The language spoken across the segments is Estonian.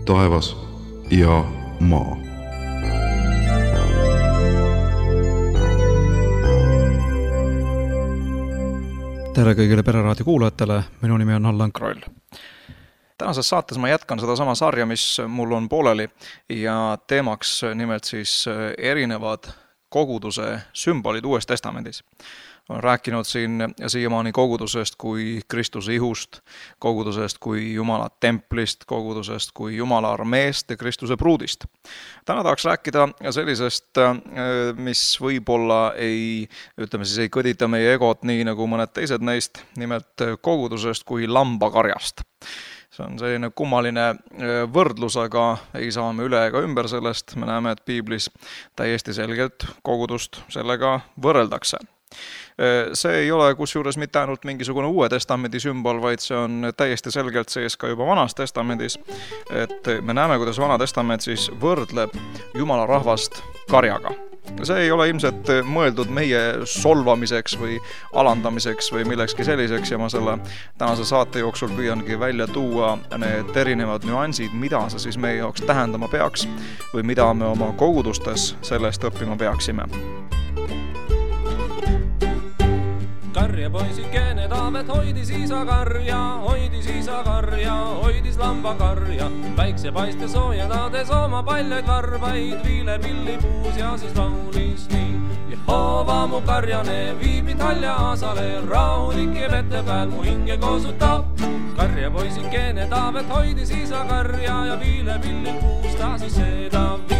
taevas ja maa. Tere kõigile Pereraadio kuulajatele, minu nimi on Allan Kroll. Tänases saates ma jätkan sedasama sarja, mis mul on pooleli ja teemaks nimelt siis erinevad koguduse sümbolid Uues Testamendis. Olen rääkinud siin siiamaani kogudusest kui Kristuse ihust, kogudusest kui Jumala templist, kogudusest kui Jumala armeest ja Kristuse pruudist. Täna tahaks rääkida sellisest, mis võib-olla ei kõdita meie egot nii nagu mõned teised neist, nimelt kogudusest kui lambakarjast. See on selline kummaline võrdlus, aga ei saa me üle ega ümber sellest. Me näeme, et Piiblis täiesti selgelt kogudust sellega võrreldakse. See ei ole kusjuures mitte ainult mingisugune Uue Testamendi sümbol, vaid see on täiesti selgelt sees ka juba Vanas Testamendis. Et me näeme, kuidas Vana Testament siis võrdleb Jumala rahvast karjaga. See ei ole ilmselt mõeldud meie solvamiseks või alandamiseks või millekski selliseks ja ma selle tänase saate jooksul püüangi välja tuua need erinevad nüansid, mida see siis meie jaoks tähendama peaks või mida me oma kogudustes sellest õppima peaksime. Karjapoisikene Taavet hoidis isa karja, hoidis lambakarja. Päiksepaiste soojendades oma paljaid varbaid, viile pillipuus ja siis laulis nii. Jehova mu karjane viib mind halja aasale, rahulik ja vette peal mu hinge koosutab. Karjapoisikene Taavet hoidis isa karja ja viile pillipuus ta siis seda viib.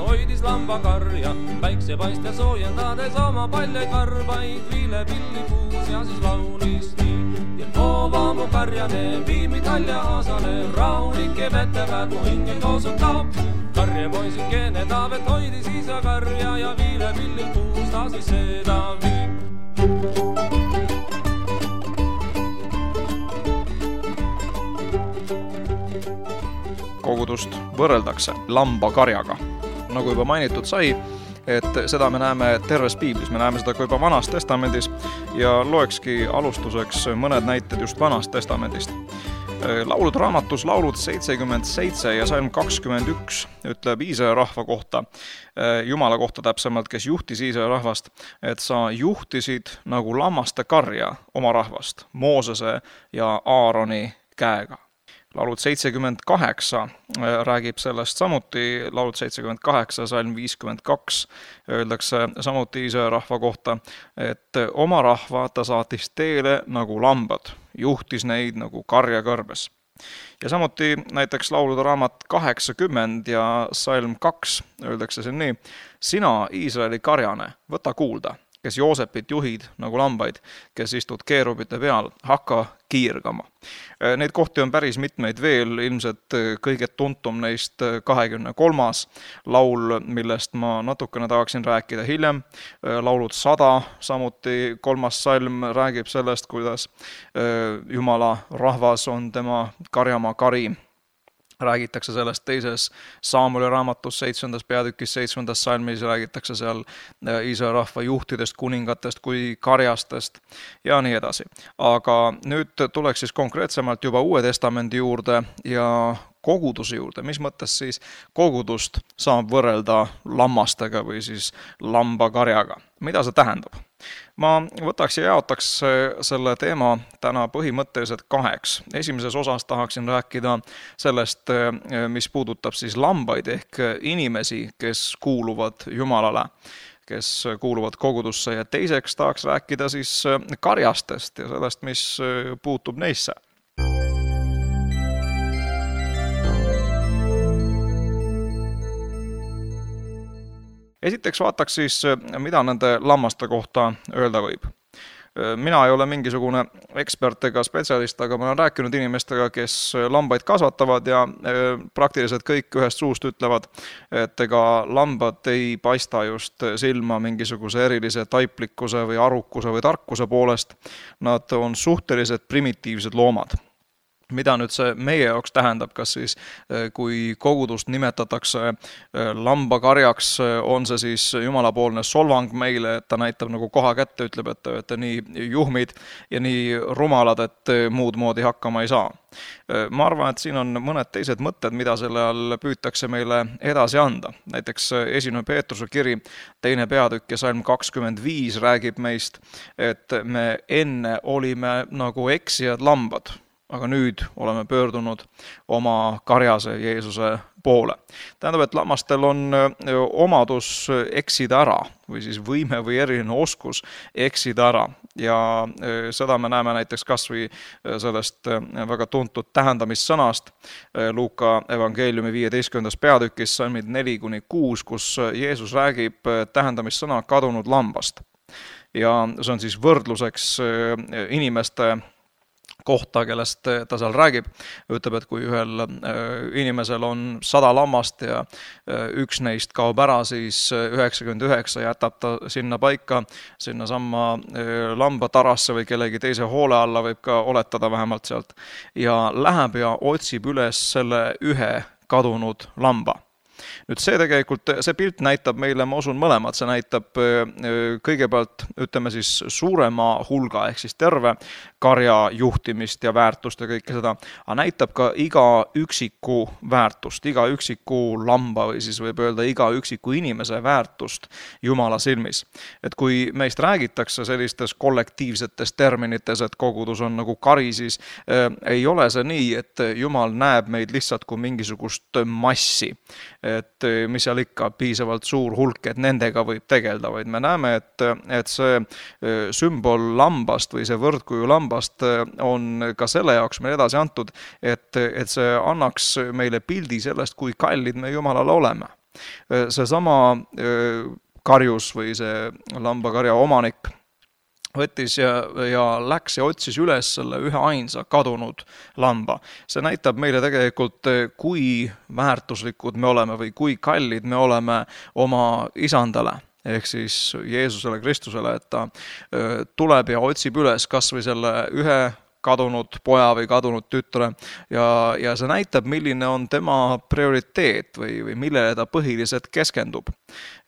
Hoidis lambakarja, päiksepaiste soojendades oma paljaid varbaid, viile pillipuus ja siis laulis nii. Jehova mu karjane viib mind halja aasale, rahulik ja vette peal mu hinge koosutab. Karjapoisikene Taavet hoidis isa karja ja viile pillipuus ta siis seda viib. Kogudust võrreldakse lambakarjaga. Nagu juba mainitud sai, et seda me näeme terves Piiblis, me näeme seda ka juba Vanas Testamendis ja loekski alustuseks mõned näited just Vanast Testamendist. Laulude raamatus Laulud 77 ja Salm 21 ütleb Iisraeli rahva kohta, Jumala kohta täpsemalt, kes juhtis Iisraeli rahvast, et sa juhtisid nagu lammaste karja oma rahvast Moosese ja Aaroni käega. Laulud 78 räägib sellest samuti, Laulud 78, Salm 52 öeldakse samuti Iisraeli rahva kohta, et oma rahva ta saatis teele nagu lambad, juhtis neid nagu karja kõrbes. Ja samuti näiteks Laulude raamat 80 ja Salm 2 öeldakse siin nii, sina Iisraeli karjane, võta kuulda, kes Joosepit juhid nagu lambaid, kes istud keerubite peal, hakka kiirgama. Neid kohti on päris mitmeid veel, ilmselt kõige tuntum neist 23. laul, millest ma natukene tahaksin rääkida hiljem. Laulud 100, samuti 3. salm räägib sellest, kuidas Jumala rahvas on tema karjamaa kari. Räägitakse sellest teises Saamuli raamatus 7. peatükis 7. salmis, räägitakse seal Iisraeli rahva juhtidest, kuningatest kui karjastest ja nii edasi. Aga nüüd tuleks siis konkreetsemalt juba Uue Testamendi juurde ja koguduse juurde. Mis mõttes siis kogudust saab võrrelda lammastega või siis lambakarjaga? Mida see tähendab? Ma võtaks ja jaotaks selle teema täna põhimõtteliselt kaheks. Esimeses osas tahaksin rääkida sellest, mis puudutab siis lambaid ehk inimesi, kes kuuluvad Jumalale, kes kuuluvad kogudusse ja teiseks tahaks rääkida siis karjastest ja sellest, mis puutub neisse. Esiteks vaataks siis, mida nende lammaste kohta öelda võib. Mina ei ole mingisugune ekspert ega spetsialist, aga ma olen rääkinud inimestega, kes lambaid kasvatavad ja praktiliselt kõik ühest suust ütlevad, et ega lambad ei paista just silma mingisuguse erilise taiplikkuse või arukuse või tarkuse poolest. Nad on suhteliselt primitiivsed loomad. Mida nüüd see meie jaoks tähendab, kas siis kui kogudust nimetatakse lambakarjaks, on see siis jumalapoolne solvang meile, et ta näitab nagu koha kätte, ütleb, et te olete nii juhmid ja nii rumalad, et muud moodi hakkama ei saa. Ma arvan, et siin on mõned teised mõtted, mida selle all püütakse meile edasi anda. Näiteks 1. Peetruse kiri 2. peatükk ja salm 25 räägib meist, et me enne olime nagu eksijad lambad, aga nüüd oleme pöördunud oma karjase Jeesuse poole. Tähendab, et lammastel on omadus eksida ära või siis võime või eriline oskus eksida ära. Ja seda me näeme näiteks kas või sellest väga tuntud tähendamissõnast Luuka evangeeliumi 15. peatükis salmid 4-6, kus Jeesus räägib tähendamissõna kadunud lambast. Ja see on siis võrdluseks inimeste kohta, kellest ta seal räägib, ütleb, et kui ühel inimesel on 100 lammast ja üks neist kaob ära, siis 99 jätab ta sinna paika, sinna samma lambatarasse või kellegi teise hoole alla, võib ka oletada vähemalt sealt, ja läheb ja otsib üles selle ühe kadunud lamba. Nüüd see tegelikult, see pilt näitab meile, ma usun mõlemad, see näitab kõigepealt, ütleme siis suurema hulga, ehk siis terve karja juhtimist ja väärtust ja kõike seda, aga näitab ka iga üksiku väärtust, iga üksiku lamba või siis võib öelda iga üksiku inimese väärtust Jumala silmis. Et kui meist räägitakse sellistes kollektiivsetes terminites, et kogudus on nagu kari, siis ei ole see nii, et Jumal näeb meid lihtsalt kui mingisugust massi, et mis seal ikka piisavalt suur hulk, et nendega võib tegelda, vaid me näeme, et see sümbol lambast või see võrdkuju lambast on ka selle jaoks meil edasi antud, et see annaks meile pildi sellest, kui kallid me Jumalale oleme. See sama karjus või see lambakarja omanik võttis ja läks ja otsis üles selle ühe ainsa kadunud lamba. See näitab meile tegelikult, kui väärtuslikud me oleme või kui kallid me oleme oma isandale, ehk siis Jeesusele Kristusele, et ta tuleb ja otsib üles kas või selle ühe kadunud poja või kadunud tütre ja see näitab, milline on tema prioriteet või millele ta põhiliselt keskendub.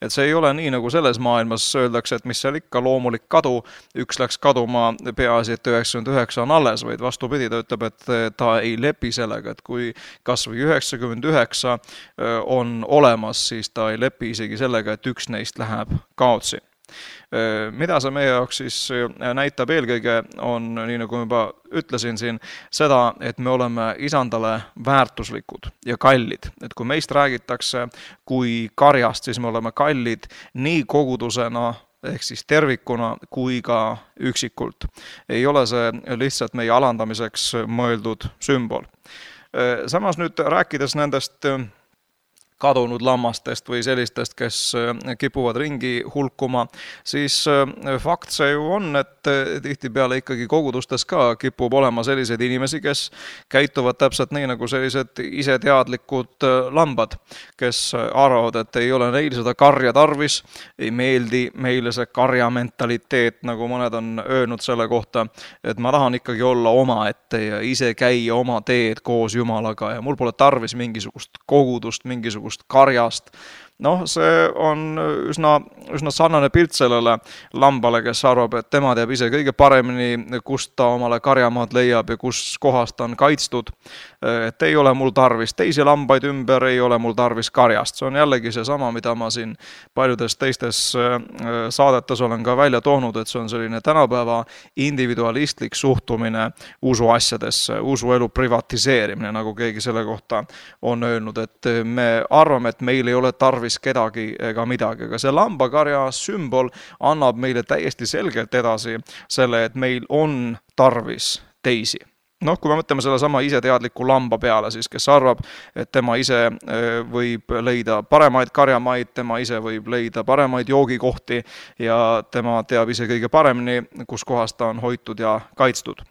Et see ei ole nii, nagu selles maailmas öeldakse, et mis seal ikka loomulik kadu, üks läks kaduma, peaasi, et 99 on alles, vaid vastupidi, ta ütleb, et ta ei lepi sellega, et kui kas või 99 on olemas, siis ta ei lepi isegi sellega, et üks neist läheb kaotsi. Mida see meie jaoks siis näitab eelkõige on, nii nagu ma juba ütlesin siin, seda, et me oleme isandale väärtuslikud ja kallid. Et kui meist räägitakse kui karjast, siis me oleme kallid nii kogudusena, ehk siis tervikuna kui ka üksikult. Ei ole see lihtsalt meie alandamiseks mõeldud sümbol. Samas nüüd rääkides nendest kadunud lammastest või sellistest, kes kipuvad ringi hulkuma, siis fakt see ju on, et tihtipeale ikkagi kogudustes ka kipub olema selliseid inimesi, kes käituvad täpselt nii nagu sellised iseteadlikud lambad, kes arvavad, et ei ole neil seda karja tarvis, ei meeldi meile see karja mentaliteet, nagu mõned on öelnud selle kohta, et ma tahan ikkagi olla omaette ja ise käia oma teed koos Jumalaga ja mul pole tarvis mingisugust kogudust, mingisugust karjast. Noh, see on üsna sarnane pilt sellele lambale, kes arvab, et tema teab ise kõige paremini, kust ta omale karjamaad leiab ja kus kohas ta on kaitstud. Et ei ole mul tarvis teisi lambaid ümber, ei ole mul tarvis karjast. See on jällegi see sama, mida ma siin paljudes teistes saadetes olen ka välja toonud, et see on selline tänapäeva individualistlik suhtumine usuasjadesse, usuelu privatiseerimine, nagu keegi selle kohta on öelnud, et me arvame, et meil ei ole tarvis kedagi ega midagi, aga see lambakarja sümbol annab meile täiesti selgelt edasi selle, et meil on tarvis teisi. Noh, kui me mõtleme selle sama iseteadliku lamba peale, siis kes arvab, et tema ise võib leida paremaid karjamaid, tema ise võib leida paremaid joogikohti ja tema teab ise kõige paremini, kus kohas ta on hoitud ja kaitstud.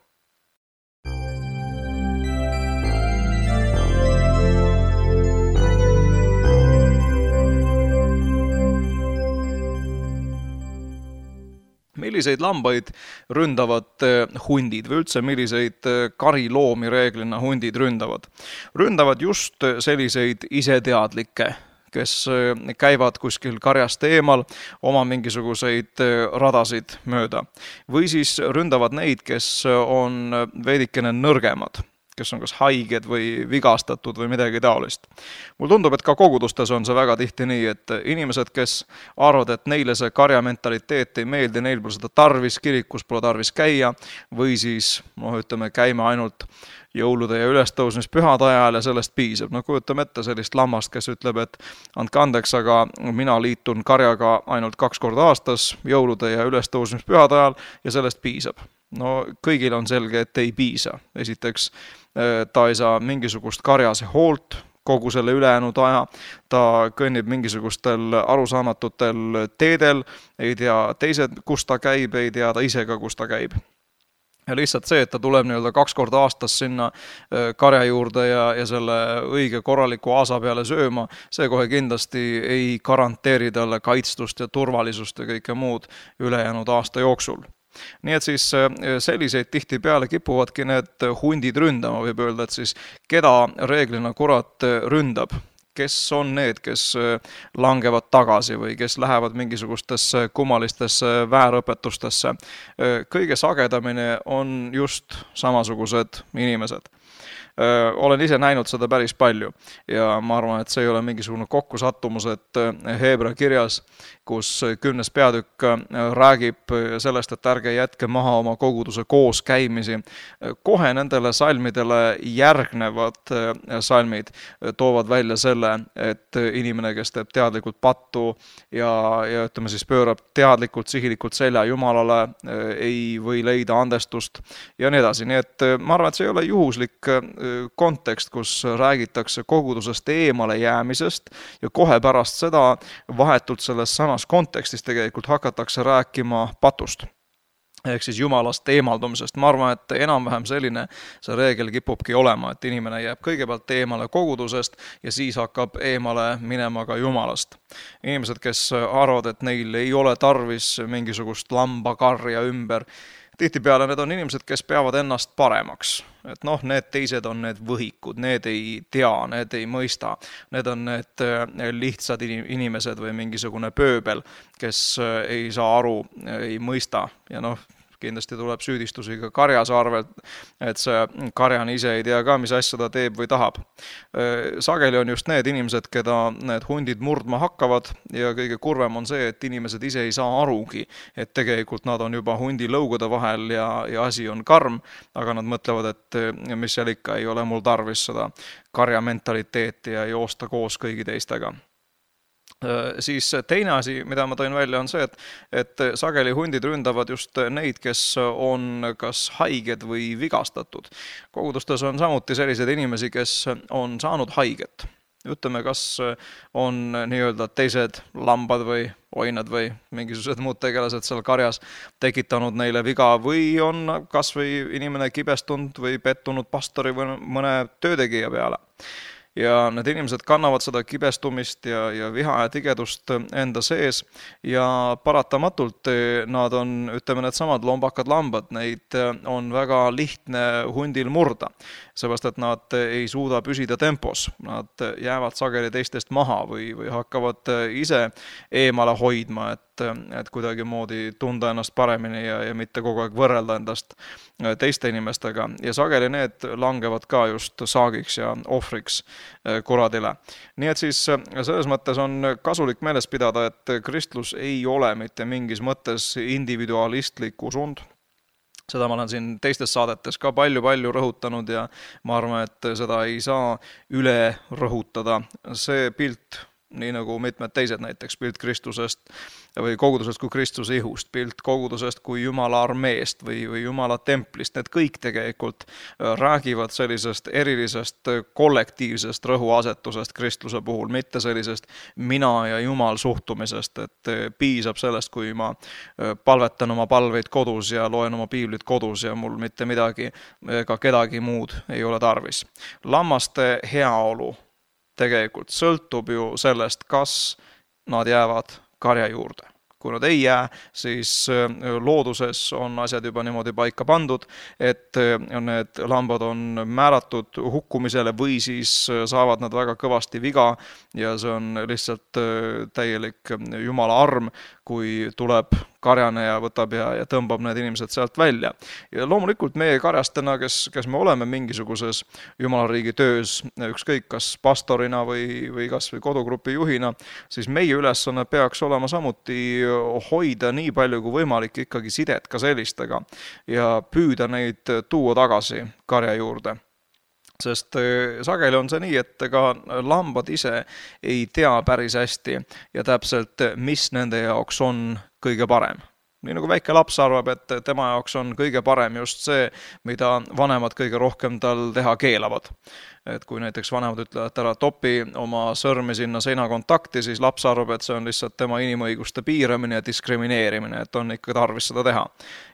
Milliseid lambaid ründavad hundid või üldse milliseid kariloomi reeglina hundid ründavad? Ründavad just selliseid iseteadlikke, kes käivad kuskil karjast eemal oma mingisuguseid radasid mööda. Või siis ründavad neid, kes on veidikene nõrgemad, kes on kas haiged või vigastatud või midagi taolist. Mul tundub, et ka kogudustes on see väga tihti nii, et inimesed, kes arvavad, et neile see karja mentaliteet ei meeldi, neil pole seda tarvis, kirikus pole tarvis käia, või siis, käime ainult jõulude ja ülestõusmispühade ajal ja sellest piisab. Kujutame ette sellist lammast, kes ütleb, et andke andeks, aga mina liitun karjaga ainult 2 korda aastas, jõulude ja ülestõusmispühade ajal ja sellest piisab. No kõigil on selge, et ei piisa. Esiteks, ta ei saa mingisugust karjase hoolt kogu selle ülejäänud aja, ta kõnnib mingisugustel arusaamatutel teedel, ei tea teised, kus ta käib, ei tea ta ise ka, kus ta käib. Ja lihtsalt see, et ta tuleb 2 korda aastas sinna karja juurde ja selle õige korraliku aasa peale sööma, see kohe kindlasti ei garanteeri talle kaitstust ja turvalisust ja kõike muud ülejäänud aasta jooksul. Nii et siis selliseid tihtipeale kipuvadki need hundid ründama, võib öelda, et siis keda reeglina kurat ründab, kes on need, kes langevad tagasi või kes lähevad mingisugustesse kummalistesse väärõpetustesse. Kõige sagedamini on just samasugused inimesed. Olen ise näinud seda päris palju ja ma arvan, et see ei ole mingisugune kokkusattumus, et Heebra kirjas, kus 10. peatükk räägib sellest, et ärge jätke maha oma koguduse koos käimisi. Kohe nendele salmidele järgnevad salmid toovad välja selle, et inimene, kes teeb teadlikult pattu ja ütleme siis pöörab teadlikult, sihilikult selja Jumalale, ei või leida andestust ja nii edasi. Nii et ma arvan, et see ei ole juhuslik kontekst, kus räägitakse kogudusest eemale jäämisest ja kohe pärast seda vahetult selles samas kontekstis tegelikult hakatakse rääkima patust. Ehk siis Jumalast eemaldumisest. Ma arvan, et enam-vähem selline see reegel kipubki olema, et inimene jääb kõigepealt eemale kogudusest ja siis hakkab eemale minema ka Jumalast. Inimesed, kes arvavad, et neil ei ole tarvis mingisugust lambakarja ümber, tihtipeale need on inimesed, kes peavad ennast paremaks. Et need teised on need võhikud, need ei tea, need ei mõista. Need on need lihtsad inimesed või mingisugune pööbel, kes ei saa aru, ei mõista ja kindlasti tuleb süüdistusi ka karjase arvelt, et see karjan ise ei tea ka, mis asja ta teeb või tahab. Sageli on just need inimesed, keda need hundid murdma hakkavad ja kõige kurvem on see, et inimesed ise ei saa arugi, et tegelikult nad on juba hundi lõugude vahel ja asi on karm, aga nad mõtlevad, et mis seal ikka ei ole mul tarvis seda karja mentaliteeti ja joosta koos kõigi teistega. Siis teine asi, mida ma tõin välja, on see, et sageli hundid ründavad just neid, kes on kas haiged või vigastatud. Kogudustes on samuti selliseid inimesi, kes on saanud haiget. Ütleme, kas on nii-öelda teised lambad või oinad või mingisugused muud tegelased seal karjas tekitanud neile viga või on kas või inimene kibestunud või pettunud pastori või mõne töötegija peale. Ja need inimesed kannavad seda kibestumist ja viha ja tigedust enda sees ja paratamatult nad on, ütleme, need samad lombakad lambad, neid on väga lihtne hundil murda, seepärast et nad ei suuda püsida tempos, nad jäävad sageli teistest maha või hakkavad ise eemale hoidma, et kuidagi moodi tunda ennast paremini ja mitte kogu aeg võrrelda endast teiste inimestega ja sageli need langevad ka just saagiks ja ohvriks kuradile. Nii et siis selles mõttes on kasulik meeles pidada, et kristlus ei ole mitte mingis mõttes individualistlik usund. Seda ma olen siin teistes saadetes ka palju rõhutanud ja ma arvan, et seda ei saa üle rõhutada. See pilt, nii nagu mitmed teised näiteks pilt Kristusest, või kogudusest kui Kristuse ihust, pilt kogudusest kui Jumala armeest või Jumala templist, need kõik tegelikult räägivad sellisest erilisest kollektiivsest rõhuasetusest kristluse puhul, mitte sellisest mina ja Jumal suhtumisest, et piisab sellest, kui ma palvetan oma palveid kodus ja loen oma piiblit kodus ja mul mitte midagi ega kedagi muud ei ole tarvis. Lammaste heaolu tegelikult sõltub ju sellest, kas nad jäävad karja juurde. Kui nad ei jää, siis looduses on asjad juba niimoodi paika pandud, et need lambad on määratud hukkumisele või siis saavad nad väga kõvasti viga ja see on lihtsalt täielik Jumala arm, kui tuleb karjane ja võtab ja tõmbab need inimesed sealt välja. Ja loomulikult meie karjastena, kes me oleme mingisuguses Jumala riigi töös, ükskõik kas pastorina või kas või kodugrupi juhina, siis meie ülesanne peaks olema samuti hoida nii palju kui võimalik ikkagi sidet ka sellistega ja püüda neid tuua tagasi karja juurde. Sest sageli on see nii, et ega lambad ise ei tea päris hästi ja täpselt, mis nende jaoks on kõige parem. Nii nagu väike laps arvab, et tema jaoks on kõige parem just see, mida vanemad kõige rohkem tal teha keelavad. Et kui näiteks vanemad ütlevad, et ära topi oma sõrmi sinna seinakontakti, siis laps arvab, et see on lihtsalt tema inimõiguste piiramine ja diskrimineerimine, et on ikka tarvis seda teha.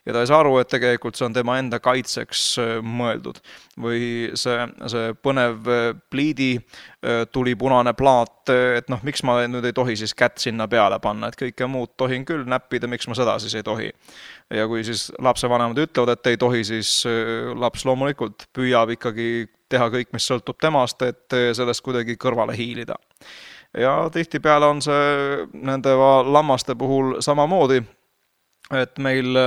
Ja ta ei saa aru, et tegelikult see on tema enda kaitseks mõeldud. Või see põnev pliidi tuli punane plaat, et miks ma nüüd ei tohi siis kätt sinna peale panna, et kõike muud tohin küll näppida, miks ma seda siis ei tohi. Ja kui siis lapse vanemad ütlevad, et ei tohi, siis laps loomulikult püüab ikkagi teha kõik, mis sõltub temast, et sellest kuidagi kõrvale hiilida. Ja tihtipeale on see nende lammaste puhul samamoodi, et meil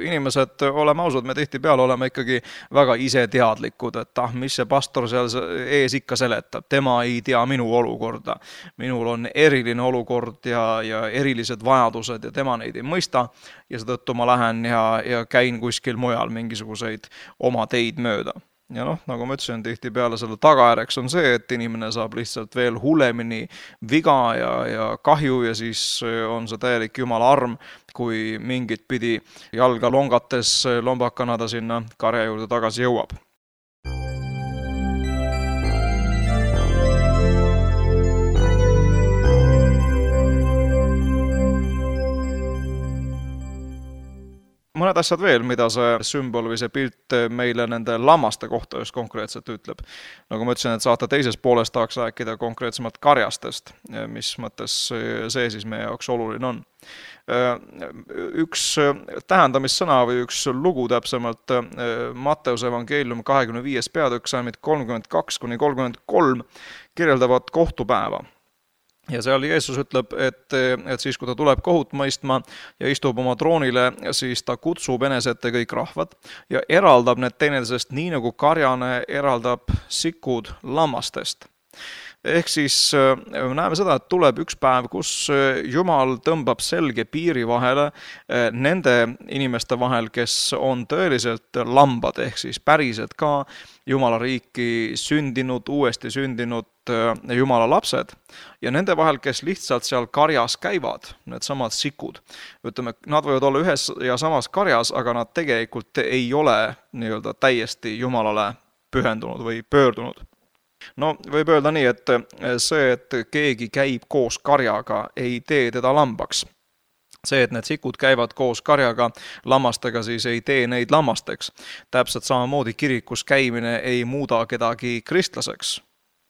inimesed, oleme ausad, me tihtipeale oleme ikkagi väga iseteadlikud, et mis see pastor seal ees ikka seletab, tema ei tea minu olukorda. Minul on eriline olukord ja erilised vajadused ja tema neid ei mõista ja seetõttu ma lähen ja käin kuskil mujal mingisuguseid oma teid mööda. Ja nagu ma ütlesin, tihtipeale selle tagajärjeks on see, et inimene saab lihtsalt veel hullemini viga ja kahju ja siis on see täielik Jumala arm, kui mingit pidi jalga longates lombakana ta sinna karja juurde tagasi jõuab. Mõned asjad veel, mida see sümbol või see pilt meile nende lammaste kohta just konkreetselt ütleb. Nagu ma ütlesin, et saate teises pooles tahaks rääkida konkreetsemalt karjastest, mis mõttes see siis meie jaoks oluline on. Üks tähendamissõna või üks lugu täpsemalt Matteuse evangeelium 25. peatükk salmid 32-33 kirjeldavad kohtupäeva. Ja seal Jeesus ütleb, et siis kui ta tuleb kohut mõistma ja istub oma troonile, siis ta kutsub enesete kõik rahvad ja eraldab need teineteisest nii nagu karjane eraldab sikud lammastest. Ehk siis näeme seda, et tuleb üks päev, kus Jumal tõmbab selge piiri vahele nende inimeste vahel, kes on tõeliselt lambad, ehk siis päriselt ka Jumala riiki sündinud, uuesti sündinud Jumala lapsed ja nende vahel, kes lihtsalt seal karjas käivad, need samad sikud. Ütleme, nad võivad olla ühes ja samas karjas, aga nad tegelikult ei ole täiesti Jumalale pühendunud või pöördunud. Võib öelda nii, et see, et keegi käib koos karjaga, ei tee teda lambaks. See, et need sikud käivad koos karjaga lammastega, siis ei tee neid lammasteks. Täpselt samamoodi kirikus käimine ei muuda kedagi kristlaseks.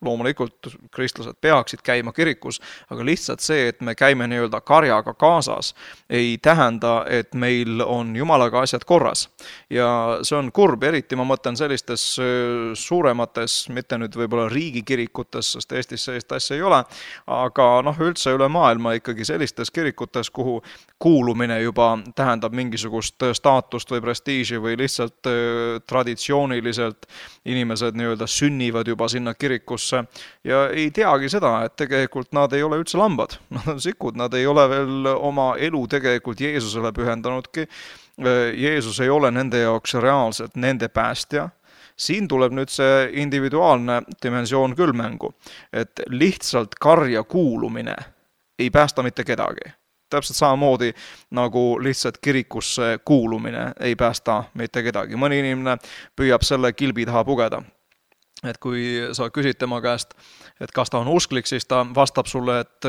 Loomulikult kristlased peaksid käima kirikus, aga lihtsalt see, et me käime nii-öelda karjaga kaasas, ei tähenda, et meil on Jumalaga asjad korras. Ja see on kurb, eriti ma mõtlen sellistes suuremates, mitte nüüd võib-olla riigikirikutes, sest Eestis sellist asja ei ole, aga üldse üle maailma ikkagi sellistes kirikutes, kuhu kuulumine juba tähendab mingisugust staatust või prestiiži või lihtsalt traditsiooniliselt inimesed nii-öelda sünnivad juba sinna kirikusse ja ei teagi seda, et tegelikult nad ei ole üldse lambad. Nad on sikud, nad ei ole veel oma elu tegelikult Jeesusele pühendanudki. Jeesus ei ole nende jaoks reaalselt nende päästja. Siin tuleb nüüd see individuaalne dimensioon küll mängu, et lihtsalt karja kuulumine ei päästa mitte kedagi. Täpselt samamoodi nagu lihtsalt kirikusse kuulumine ei päästa mitte kedagi. Mõni inimene püüab selle kilbi taha pugeda. Et kui sa küsid tema käest, et kas ta on usklik, siis ta vastab sulle, et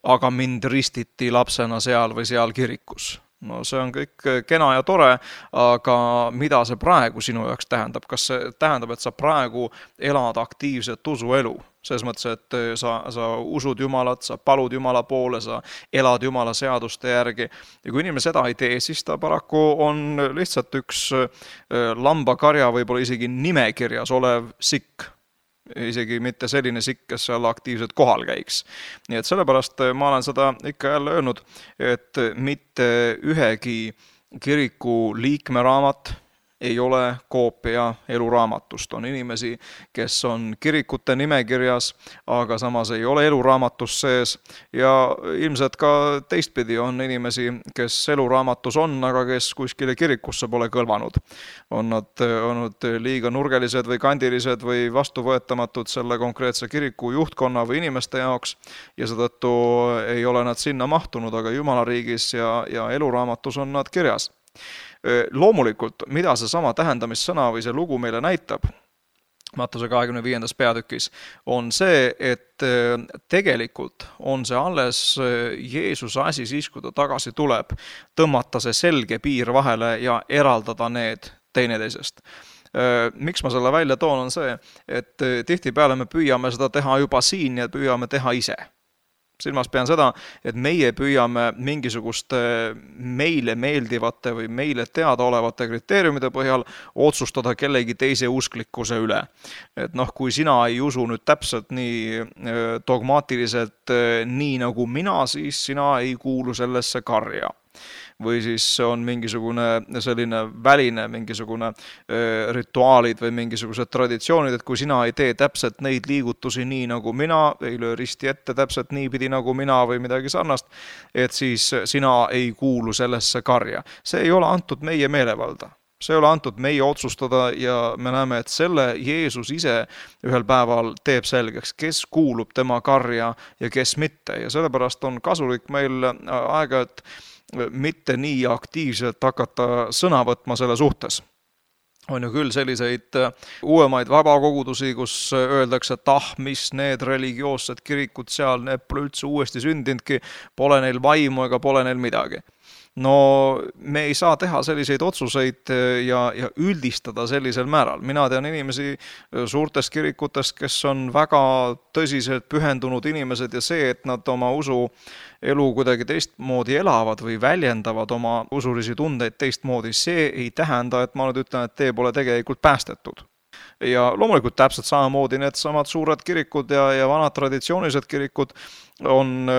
aga mind ristiti lapsena seal või seal kirikus. No see on kõik kena ja tore, aga mida see praegu sinu jaoks tähendab? Kas see tähendab, et sa praegu elad aktiivset usuelu? Selles mõttes, et sa usud Jumalat, sa palud Jumala poole, sa elad Jumala seaduste järgi. Ja kui inimene seda ei tee, siis ta paraku on lihtsalt üks lambakarja võib-olla isegi nimekirjas olev sikk. Isegi mitte selline sikk, kes seal aktiivselt kohal käiks. Nii et sellepärast ma olen seda ikka jälle öelnud, et mitte ühegi kiriku liikmeraamat ei ole koopia eluraamatust. On inimesi, kes on kirikute nimekirjas, aga samas ei ole eluraamatus sees ja ilmselt ka teistpidi on inimesi, kes eluraamatus on, aga kes kuskile kirikusse pole kõlvanud. On nad olnud liiga nurgelised või kandilised või vastuvõetamatud selle konkreetse kiriku juhtkonna või inimeste jaoks ja seetõttu ei ole nad sinna mahtunud, aga Jumala riigis ja eluraamatus on nad kirjas. Loomulikult, mida see sama tähendamissõna või see lugu meile näitab, Mattuse 25. peatükis, on see, et tegelikult on see alles Jeesuse asi siis, kui ta tagasi tuleb, tõmmata see selge piir vahele ja eraldada need teineteisest. Miks ma selle välja toon, on see, et tihtipeale me püüame seda teha juba siin ja püüame teha ise. Silmas pean seda, et meie püüame mingisuguste meile meeldivate või meile teadaolevate kriteeriumide põhjal otsustada kellegi teise usklikkuse üle. Et kui sina ei usu nüüd täpselt nii dogmaatiliselt nii nagu mina, siis sina ei kuulu sellesse karja. Või siis on mingisugune selline väline, mingisugune rituaalid või mingisugused traditsioonid, et kui sina ei tee täpselt neid liigutusi nii nagu mina, ei löö risti ette täpselt niipidi nagu mina või midagi sarnast, et siis sina ei kuulu sellesse karja. See ei ole antud meie meelevalda. See ei ole antud meie otsustada ja me näeme, et selle Jeesus ise ühel päeval teeb selgeks, kes kuulub tema karja ja kes mitte. Ja sellepärast on kasulik meil aega, et mitte nii aktiivselt hakata sõna võtma selle suhtes. On ju küll selliseid uuemaid vabakogudusi, kus öeldakse, et mis need religioossed kirikud seal, need pole üldse uuesti sündinudki, pole neil vaimu ega pole neil midagi. No me ei saa teha selliseid otsuseid ja üldistada sellisel määral. Mina tean inimesi suurtest kirikutest, kes on väga tõsiselt pühendunud inimesed ja see, et nad oma usu elu kuidagi teistmoodi elavad või väljendavad oma usulisi tundeid teistmoodi, see ei tähenda, et ma nüüd ütlen, et te pole tegelikult päästetud. Ja loomulikult täpselt samamoodi need samad suured kirikud ja vanad traditsioonilised kirikud on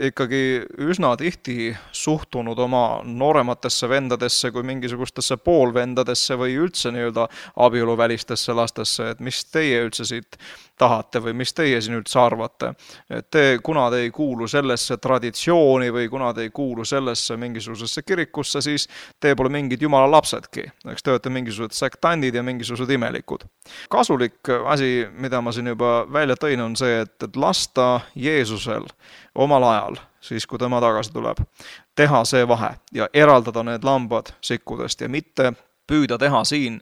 ikkagi üsna tihti suhtunud oma noorematesse vendadesse kui mingisugustesse poolvendadesse või üldse nii-öelda abieluvälistesse lastesse, et mis teie üldse siit tahate või mis teie siin üldse arvate. Et kuna te ei kuulu sellesse traditsiooni või kuna te ei kuulu sellesse mingisugusesse kirikusse, siis te pole mingid jumala lapsedki. Eks te olete mingisugused sektandid ja mingisugused imelikud. Kasulik asi, mida ma siin juba välja tõin, on see, et lasta Jeesusel omal ajal, siis kui tema tagasi tuleb, teha see vahe ja eraldada need lambad sikkudest ja mitte püüda teha siin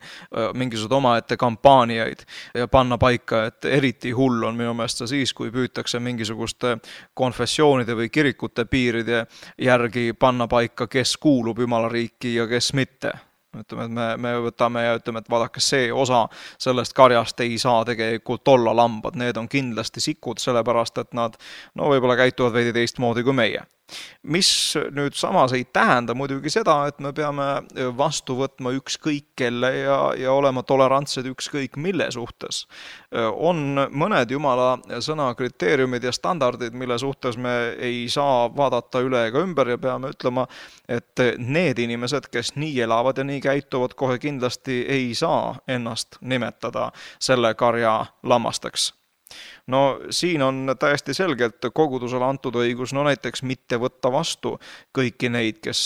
mingisugused omaette kampaaniaid ja panna paika, et eriti hull on minu meelest siis, kui püütakse mingisuguste konfessioonide või kirikute piiride järgi panna paika, kes kuulub Jumala riiki ja kes mitte. Ütleme, et me võtame ja ütleme, et vaadake, see osa sellest karjast ei saa tegelikult olla lambad. Need on kindlasti sikud, sellepärast, et nad võib-olla käituvad veidi teistmoodi kui meie. Mis nüüd samas ei tähenda muidugi seda, et me peame vastu võtma ükskõik kelle ja olema tolerantsed ükskõik mille suhtes. On mõned Jumala sõna kriteeriumid ja standardid, mille suhtes me ei saa vaadata üle ega ümber ja peame ütlema, et need inimesed, kes nii elavad ja nii käituvad, kohe kindlasti ei saa ennast nimetada selle karja lammasteks. No siin on täiesti selgelt kogudusele antud õigus, no näiteks mitte võtta vastu kõiki neid, kes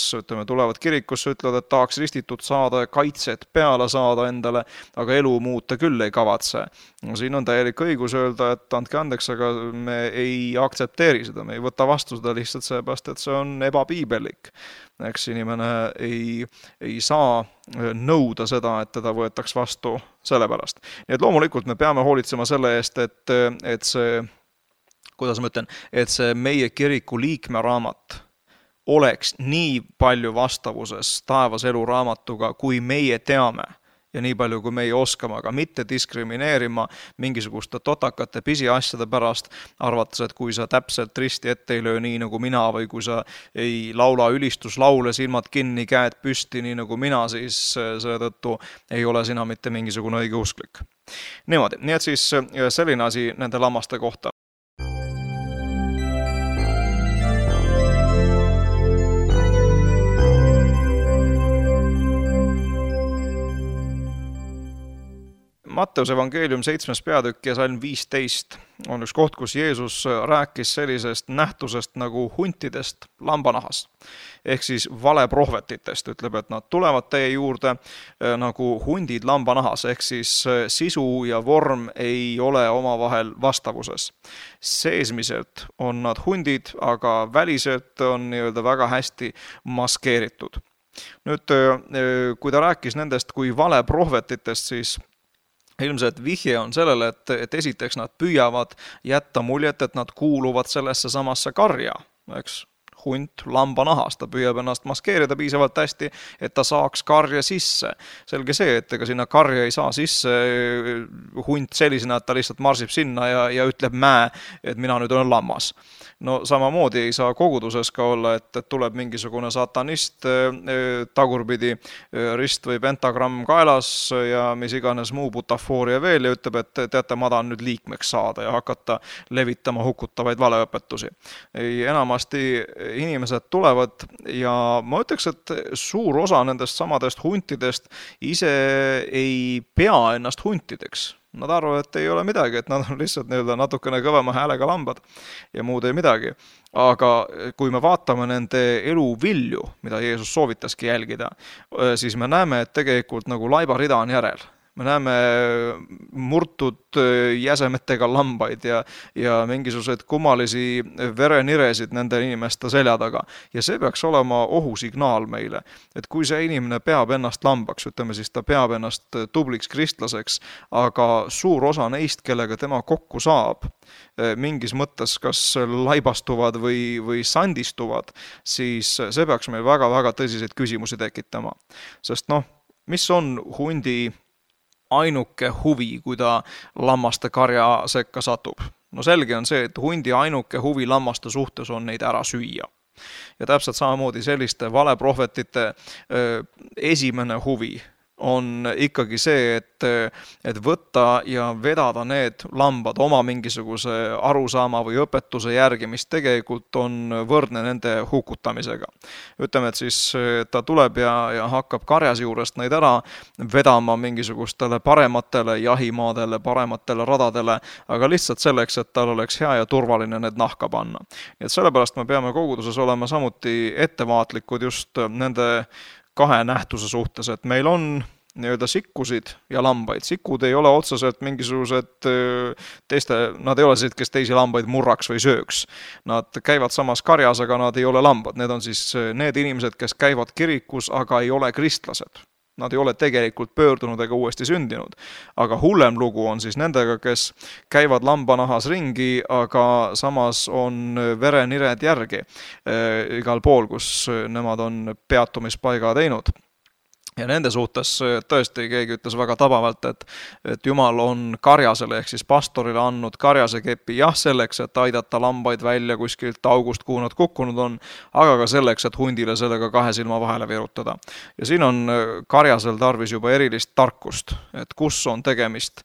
tulevad kirikusse, ütlevad, et tahaks ristitud saada ja kaitset peale saada endale, aga elu muuta küll ei kavatse. No siin on täielik õigus öelda, et andke andeks, aga me ei aktsepteeri seda, me ei võta vastu seda lihtsalt seepärast, et see on ebapiibellik. Eks inimene ei saa nõuda seda, et teda võetaks vastu selle pärast. Nii et loomulikult me peame hoolitsema selle eest, et see, kuidas ma ütlen, et see meie kiriku liikme raamat oleks nii palju vastavuses taevas elu raamatuga, kui meie teame ja nii palju, kui meie oskame, aga mitte diskrimineerima mingisuguste totakate pisiasjade pärast, arvates, et kui sa täpselt risti ette ei löö nii nagu mina või kui sa ei laula ülistuslaule silmad kinni, käed püsti nii nagu mina, siis selle tõttu ei ole sina mitte mingisugune õigeusklik. Niimoodi, nii et siis selline asi nende lammaste kohta. Matteuse evangeelium 7. peatükk ja salm 15 on üks koht, kus Jeesus rääkis sellisest nähtusest nagu huntidest lambanahas. Ehk siis valeprohvetitest, ütleb, et nad tulevad teie juurde nagu hundid lambanahas, ehk siis sisu ja vorm ei ole omavahel vastavuses. Seesmiselt on nad hundid, aga väliselt on nii-öelda väga hästi maskeeritud. Nüüd, kui ta rääkis nendest kui valeprohvetitest, siis ilmselt vihje on sellele, et esiteks nad püüavad jätta muljet, et nad kuuluvad sellesse samasse karja, eks, hunt lambanahas, ta püüab ennast maskeerida piisavalt hästi, et ta saaks karja sisse. Selge see, et ega sinna karja ei saa sisse hunt sellisena, et ta lihtsalt marsib sinna ja ütleb et mina nüüd olen lammas. No samamoodi ei saa koguduses ka olla, et tuleb mingisugune satanist tagurpidi rist või pentagramm kaelas ja mis iganes muu butafooria veel ja ütleb, et teate, ma tahan nüüd liikmeks saada ja hakata levitama hukutavaid valeõpetusi. Enamasti inimesed tulevad ja ma ütleks, et suur osa nendest samadest huntidest ise ei pea ennast huntideks. Nad arvavad, et ei ole midagi, et nad on lihtsalt natukene kõvema häälega lambad ja muud ei midagi. Aga kui me vaatame nende elu vilju, mida Jeesus soovitaski jälgida, siis me näeme, et tegelikult nagu laibarida on järel. Me näeme murtud jäsemetega lambaid ja mingisugused kummalisi vereniresid nende inimeste selja taga. Ja see peaks olema ohusignaal meile, et kui see inimene peab ennast lambaks, ütleme siis ta peab ennast tubliks kristlaseks, aga suur osa neist, kellega tema kokku saab, mingis mõttes kas laibastuvad või sandistuvad, siis see peaks meil väga-väga tõsiseid küsimusi tekitama. Sest mis on hundi ainuke huvi, kui ta lammaste karja sekka satub? No selge on see, et hundi ainuke huvi lammaste suhtes on neid ära süüa. Ja täpselt samamoodi selliste valeprohvetite esimene huvi on ikkagi see, et võtta ja vedada need lambad oma mingisuguse arusaama või õpetuse järgi, mis tegelikult on võrdne nende hukutamisega. Ütleme, et siis ta tuleb ja hakkab karjas juurest neid ära vedama mingisugustele parematele jahimaadele, parematele radadele, aga lihtsalt selleks, et tal oleks hea ja turvaline need nahka panna. Nii et sellepärast me peame koguduses olema samuti ettevaatlikud just nende kahe nähtuse suhtes, et meil on nii-öelda sikkusid ja lambaid. Sikud ei ole otseselt mingisugused nad ei ole sellised, kes teisi lambaid murraks või sööks. Nad käivad samas karjas, aga nad ei ole lambad. Need on siis need inimesed, kes käivad kirikus, aga ei ole kristlased. Nad ei ole tegelikult pöördunud ega uuesti sündinud. Aga hullem lugu on siis nendega, kes käivad lambanahas ringi, aga samas on verenired järgi igal pool, kus nemad on peatumispaiga teinud. Ja nende suhtes tõesti keegi ütles väga tabavalt, et Jumal on karjasele ehk siis pastorile andnud karjase kepi selleks, et aidata lambaid välja kuskilt august, kuhu nad kukkunud on, aga ka selleks, et hundile sellega kahe silma vahele virutada. Ja siin on karjasel tarvis juba erilist tarkust, et kus on tegemist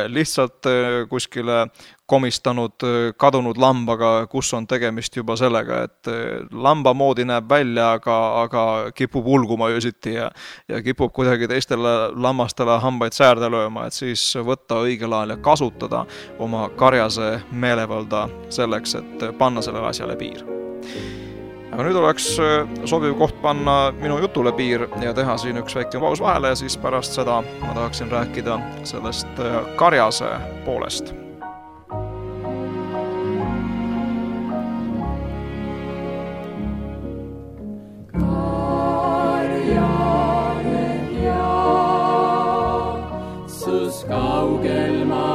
lihtsalt kuskile komistanud kadunud lambaga, kus on tegemist juba sellega, et lamba moodi näeb välja, aga kipub ulguma öösiti ja kipub kuidagi teistele lammastele hambaid säärde lööma, et siis võtta õigel ajal ja kasutada oma karjase meelevalda selleks, et panna sellele asjale piir. Aga nüüd oleks sobiv koht panna minu jutule piir ja teha siin üks väike paus vahele ja siis pärast seda ma tahaksin rääkida sellest karjase poolest. Karjane ja sus kaugel ma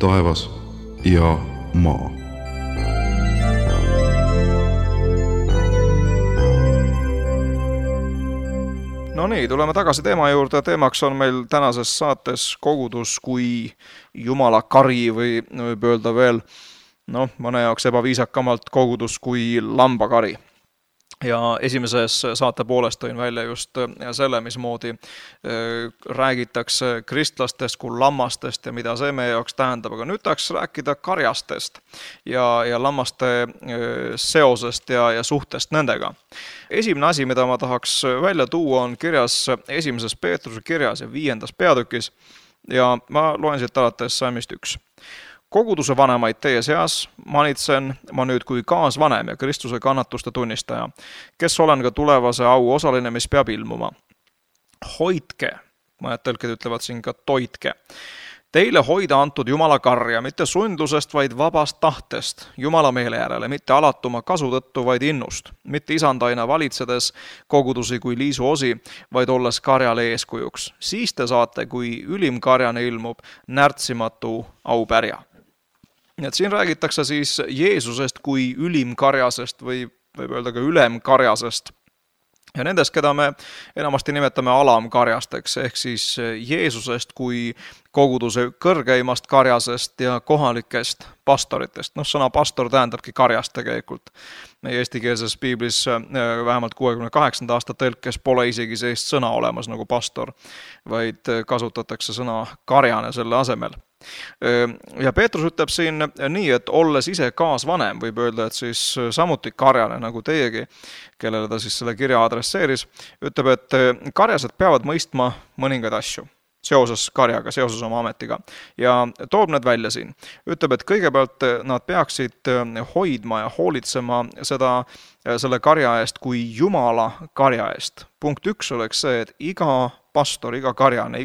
taevas ja maa. No nii, tuleme tagasi teema juurde. Teemaks on meil tänases saates kogudus kui Jumala kari või võib öelda veel, mõne jaoks ebaviisakamalt kogudus kui lambakari. Ja esimeses saate poolest tõin välja just selle, mismoodi räägitakse kristlastest kui lammastest ja mida see meie jaoks tähendab. Aga nüüd tahaks rääkida karjastest ja lammaste seosest ja suhtest nendega. Esimene asi, mida ma tahaks välja tuua, on kirjas 1. Peetruse kirjas ja 5. peatükis ja ma loen siit alates salmist 1. Koguduse vanemaid teie seas manitsen ma nüüd kui kaasvanem ja Kristuse kannatuste tunnistaja, kes olen ka tulevase au osaline, mis peab ilmuma. Hoidke, mõned tõlked ütlevad siin ka toitke. Teile hoida antud Jumala karja, mitte sundlusest, vaid vabast tahtest, Jumala meele järele, mitte alatuma kasu tõttu, vaid innust, mitte isandaina valitsedes kogudusi kui liisu osi, vaid olles karjale eeskujuks. Siis te saate, kui ülim karjane ilmub, närtsimatu aupärja. Et siin räägitakse siis Jeesusest kui ülimkarjasest või võib öelda ka ülemkarjasest. Ja nendest, keda me enamasti nimetame alamkarjasteks, ehk siis Jeesusest kui koguduse kõrgeimast karjasest ja kohalikest pastoritest. Sõna pastor tähendabki karjast tegelikult. Meie eestikeelses piiblis vähemalt 68. aasta tõlkes pole isegi sellist sõna olemas nagu pastor, vaid kasutatakse sõna karjane selle asemel. Ja Peetrus ütleb siin nii, et olles ise kaasvanem, võib öelda, et siis samuti karjane nagu teiegi, kellele ta siis selle kirja adresseeris, ütleb, et karjased peavad mõistma mõningaid asju. seoses karjaga, seoses oma ametiga ja toob need välja siin. Ütleb, et kõigepealt nad peaksid hoidma ja hoolitsema selle karja eest kui Jumala karja eest. Punkt 1 oleks see, et iga pastor, iga karjane,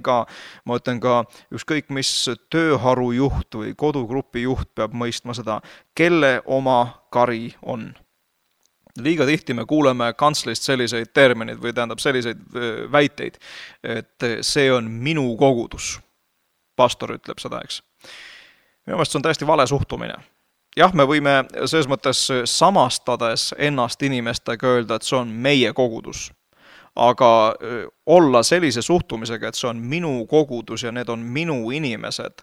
ma ütlen ka ükskõik mis tööharu juht või kodugrupi juht peab mõistma seda, kelle oma kari on. Liiga tihti me kuuleme kantslist selliseid terminid või tähendab selliseid väiteid, et see on minu kogudus. Pastor ütleb seda, eks. Minu meelest see on täiesti vale suhtumine. Jah, me võime selles mõttes samastades ennast inimestega öelda, et see on meie kogudus. Aga olla sellise suhtumisega, et see on minu kogudus ja need on minu inimesed,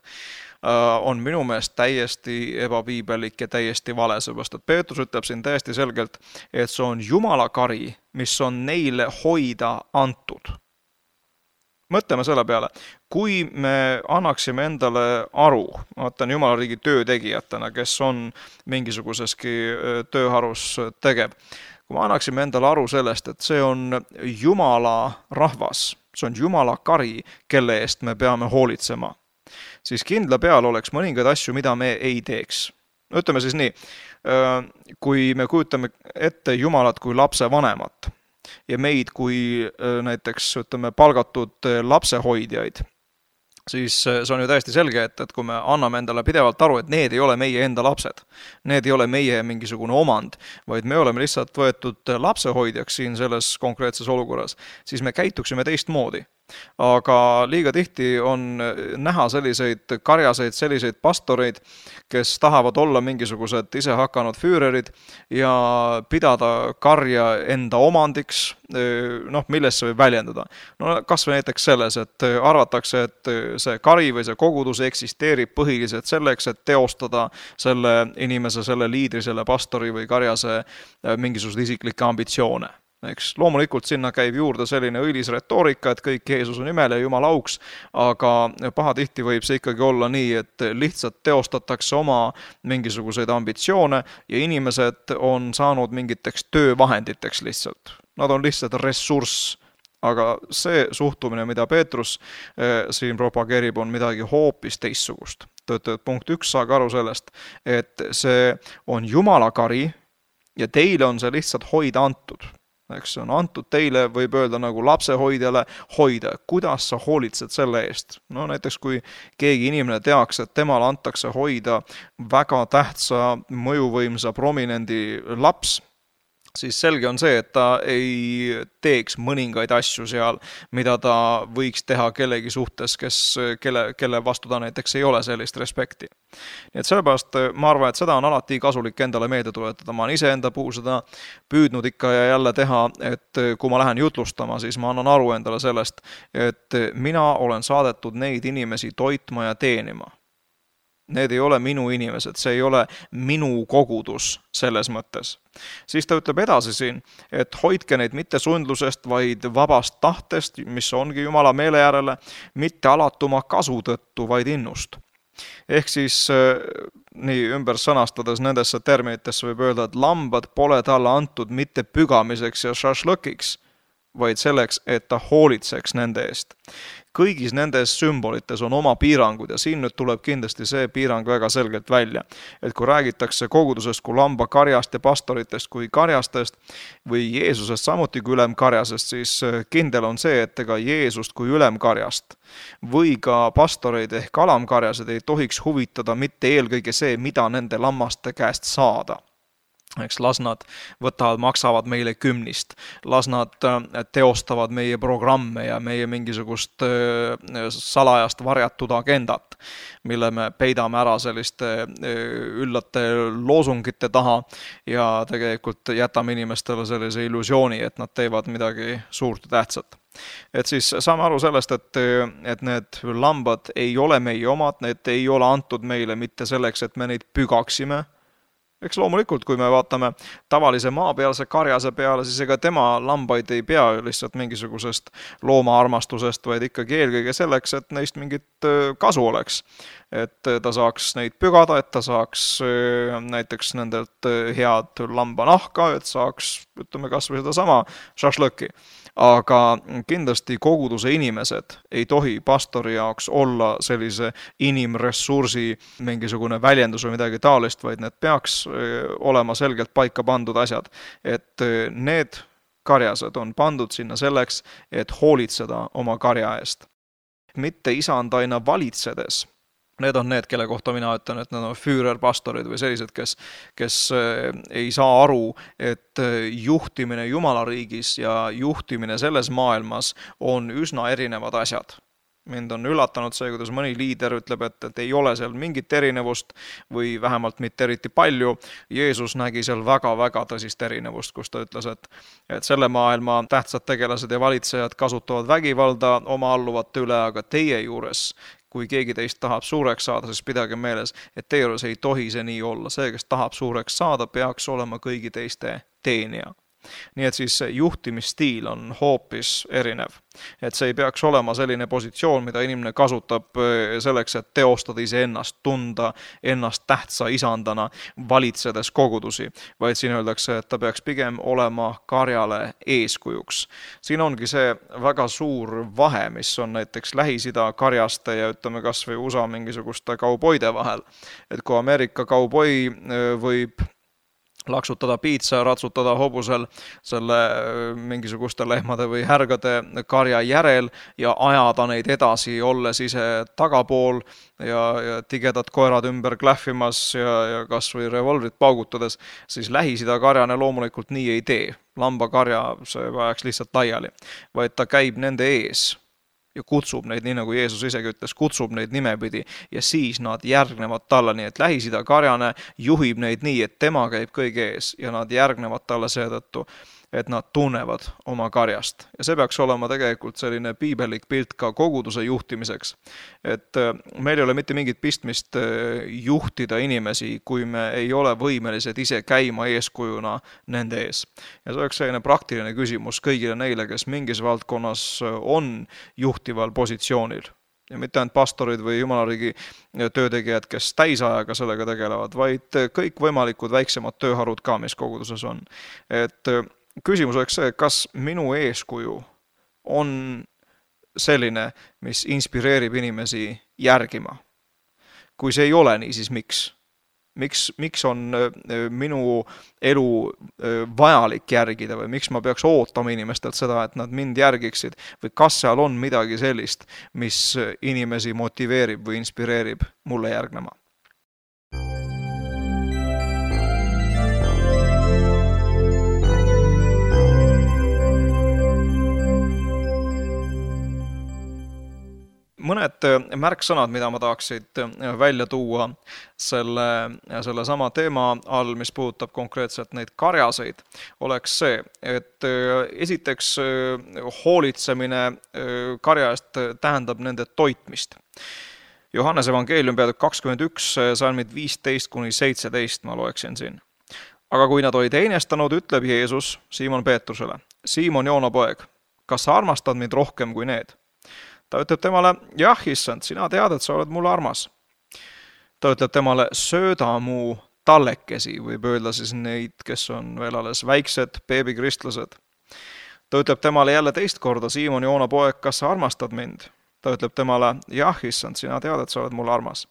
on minu meelest täiesti ebapiibelik ja täiesti vale, seepärast, et Peetrus ütleb siin täiesti selgelt, et see on Jumala kari, mis on neile hoida antud. Mõtleme selle peale, kui me annaksime endale aru, vaatan Jumala riigi töötegijatena, kes on mingisuguseski tööharus tegev, kui me annaksime endale aru sellest, et see on Jumala rahvas, see on Jumala kari, kelle eest me peame hoolitsema, siis kindla peal oleks mõningaid asju, mida me ei teeks. Ütleme siis nii, kui me kujutame ette Jumalat kui lapse vanemat ja meid kui näiteks palgatud lapsehoidjaid, siis see on ju täiesti selge, et kui me anname endale pidevalt aru, et need ei ole meie enda lapsed, need ei ole meie mingisugune omand, vaid me oleme lihtsalt võetud lapsehoidjaks siin selles konkreetses olukorras, siis me käituksime teistmoodi. Aga liiga tihti on näha selliseid karjaseid, selliseid pastoreid, kes tahavad olla mingisugused ise hakanud füürerid ja pidada karja enda omandiks, milles see võib väljendada. Kas või näiteks selles, et arvatakse, et see kari või see kogudus eksisteerib põhiliselt selleks, et teostada selle inimese, selle liidri, selle pastori või karjase mingisugused isiklikke ambitsioone. Eks, loomulikult sinna käib juurde selline õilis retoorika, et kõik Jeesuse nimel ja Jumala auks, aga pahatihti võib see ikkagi olla nii, et lihtsalt teostatakse oma mingisuguseid ambitsioone ja inimesed on saanud mingiteks töövahenditeks lihtsalt. Nad on lihtsalt ressurss, aga see suhtumine, mida Peetrus siin propageerib, on midagi hoopis teissugust. Punkt 1, saage aru sellest, et see on Jumala kari ja teile on see lihtsalt hoida antud. Eks on antud teile, võib öelda nagu lapsehoidjale hoida, kuidas sa hoolitsed selle eest. Näiteks kui keegi inimene teaks, et temale antakse hoida väga tähtsa, mõjuvõimsa, prominendi laps, siis selge on see, et ta ei teeks mõningaid asju seal, mida ta võiks teha kellegi suhtes, kelle vastu ta näiteks ei ole sellist respekti. Nii et sellepärast ma arvan, et seda on alati kasulik endale meelde tuletada. Ma olen ise enda puhul seda püüdnud ikka ja jälle teha, et kui ma lähen jutlustama, siis ma annan aru endale sellest, et mina olen saadetud neid inimesi toitma ja teenima. Need ei ole minu inimesed, see ei ole minu kogudus selles mõttes. Siis ta ütleb edasi siin, et hoidke neid mitte sundlusest, vaid vabast tahtest, mis ongi Jumala meele järele, mitte alatuma kasu tõttu, vaid innust. Ehk siis nii ümber sõnastades nendesse terminitesse võib öelda, et lambad pole talle antud mitte pügamiseks ja šašlõkiks, vaid selleks, et ta hoolitseks nende eest. Kõigis nendes sümbolites on oma piirangud ja siin nüüd tuleb kindlasti see piirang väga selgelt välja. Et kui räägitakse kogudusest kui lambakarjast ja pastoritest kui karjastest või Jeesusest samuti kui ülemkarjasest, siis kindel on see, et ega Jeesust kui ülemkarjast või ka pastoreid ehk alamkarjased ei tohiks huvitada mitte eelkõige see, mida nende lammaste käest saada. Eks las nad maksavad meile kümnist, las nad teostavad meie programme ja meie mingisugust salajast varjatud agendat, mille me peidame ära selliste üllate loosungite taha ja tegelikult jätame inimestele sellise illusiooni, et nad teevad midagi suurt ja tähtsat. Et siis saame aru sellest, et need lambad ei ole meie omad, need ei ole antud meile mitte selleks, et me neid pügaksime. Eks loomulikult, kui me vaatame tavalise maapealse karjase peale, siis ega tema lambaid ei pea lihtsalt mingisugusest loomaarmastusest, vaid ikkagi eelkõige selleks, et neist mingit kasu oleks. Et ta saaks neid pügada, et ta saaks näiteks nendelt head lambanahka, et saaks, ütleme kas või seda sama šašlõki. aga kindlasti koguduse inimesed ei tohi pastori jaoks olla sellise inimressursi mingisugune väljendus või midagi taolist, vaid need peaks olema selgelt paika pandud asjad, et need karjased on pandud sinna selleks, et hoolitseda oma karja eest. Mitte isandaina valitsedes. Need on need, kelle kohta mina ütlen, et need on füürerpastorid või sellised, kes ei saa aru, et juhtimine Jumala riigis ja juhtimine selles maailmas on üsna erinevad asjad. Mind on üllatanud see, kuidas mõni liider ütleb, et ei ole seal mingit erinevust või vähemalt mitte eriti palju. Jeesus nägi seal väga-väga tõsist erinevust, kus ta ütles, et selle maailma tähtsad tegelased ja valitsejad kasutavad vägivalda oma alluvate üle, aga teie juures, kui keegi teist tahab suureks saada, siis pidage meeles, et teie juures ei tohi see nii olla. See, kes tahab suureks saada, peaks olema kõigi teiste teenija. Nii et siis juhtimisstiil on hoopis erinev. Et see ei peaks olema selline positsioon, mida inimene kasutab selleks, et teostada iseennast, tunda ennast tähtsa isandana, valitsedes kogudusi, vaid siin öeldakse, et ta peaks pigem olema karjale eeskujuks. Siin ongi see väga suur vahe, mis on näiteks Lähis-Ida karjaste ja ütleme kas või USA mingisuguste kauboide vahel. Et kui Ameerika kauboi võib laksutada piitsa, ratsutada hobusel selle mingisuguste lehmade või härgade karja järel ja ajada neid edasi, olles ise tagapool ja tigedad koerad ümber klähvimas ja kas või revolvrit paugutades, siis Lähis-Ida karjane loomulikult nii ei tee. Lambakarja see vajaks lihtsalt laiali, vaid ta käib nende ees ja kutsub neid, nii nagu Jeesus isegi ütles, kutsub neid nimepidi ja siis nad järgnevad talle, nii et Lähis-Ida karjane juhib neid nii, et tema käib kõige ees ja nad järgnevad talle seetõttu, et nad tunnevad oma karjast. Ja see peaks olema tegelikult selline piibelik pilt ka koguduse juhtimiseks. Et meil ei ole mitte mingit pistmist juhtida inimesi, kui me ei ole võimelised ise käima eeskujuna nende ees. Ja see oleks selline praktiline küsimus kõigile neile, kes mingis valdkonnas on juhtival positsioonil. Ja mitte ainult pastorid või jumalariigi töötegijad, kes täisajaga sellega tegelevad, vaid kõik võimalikud väiksemad tööharud ka, mis koguduses on. Et küsimus oleks see, kas minu eeskuju on selline, mis inspireerib inimesi järgima. Kui see ei ole nii, siis miks? Miks on minu elu vajalik järgida või miks ma peaks ootama inimestelt seda, et nad mind järgiksid või kas seal on midagi sellist, mis inimesi motiveerib või inspireerib mulle järgnema? Mõned märksõnad, mida ma tahaksid välja tuua selle sama teema all, mis puudutab konkreetselt neid karjaseid, oleks see, et esiteks hoolitsemine karja eest tähendab nende toitmist. Johannes evangeelium peatükk 21, salmid 15-17 ma loeksin siin. Aga kui nad olid einestanud, ütleb Jeesus Siimon Peetrusele, Siimon Joona poeg, kas sa armastad mind rohkem kui need? Ta ütleb temale, jah, issand, sina tead, et sa oled mulle armas. Ta ütleb temale, sööda mu tallekesi, võib öelda siis neid, kes on veel alles väiksed, beebikristlased. Ta ütleb temale jälle teist korda, Siimon Joona poeg, kas sa armastad mind? Ta ütleb temale, jah, issand, sina tead, et sa oled mulle armas.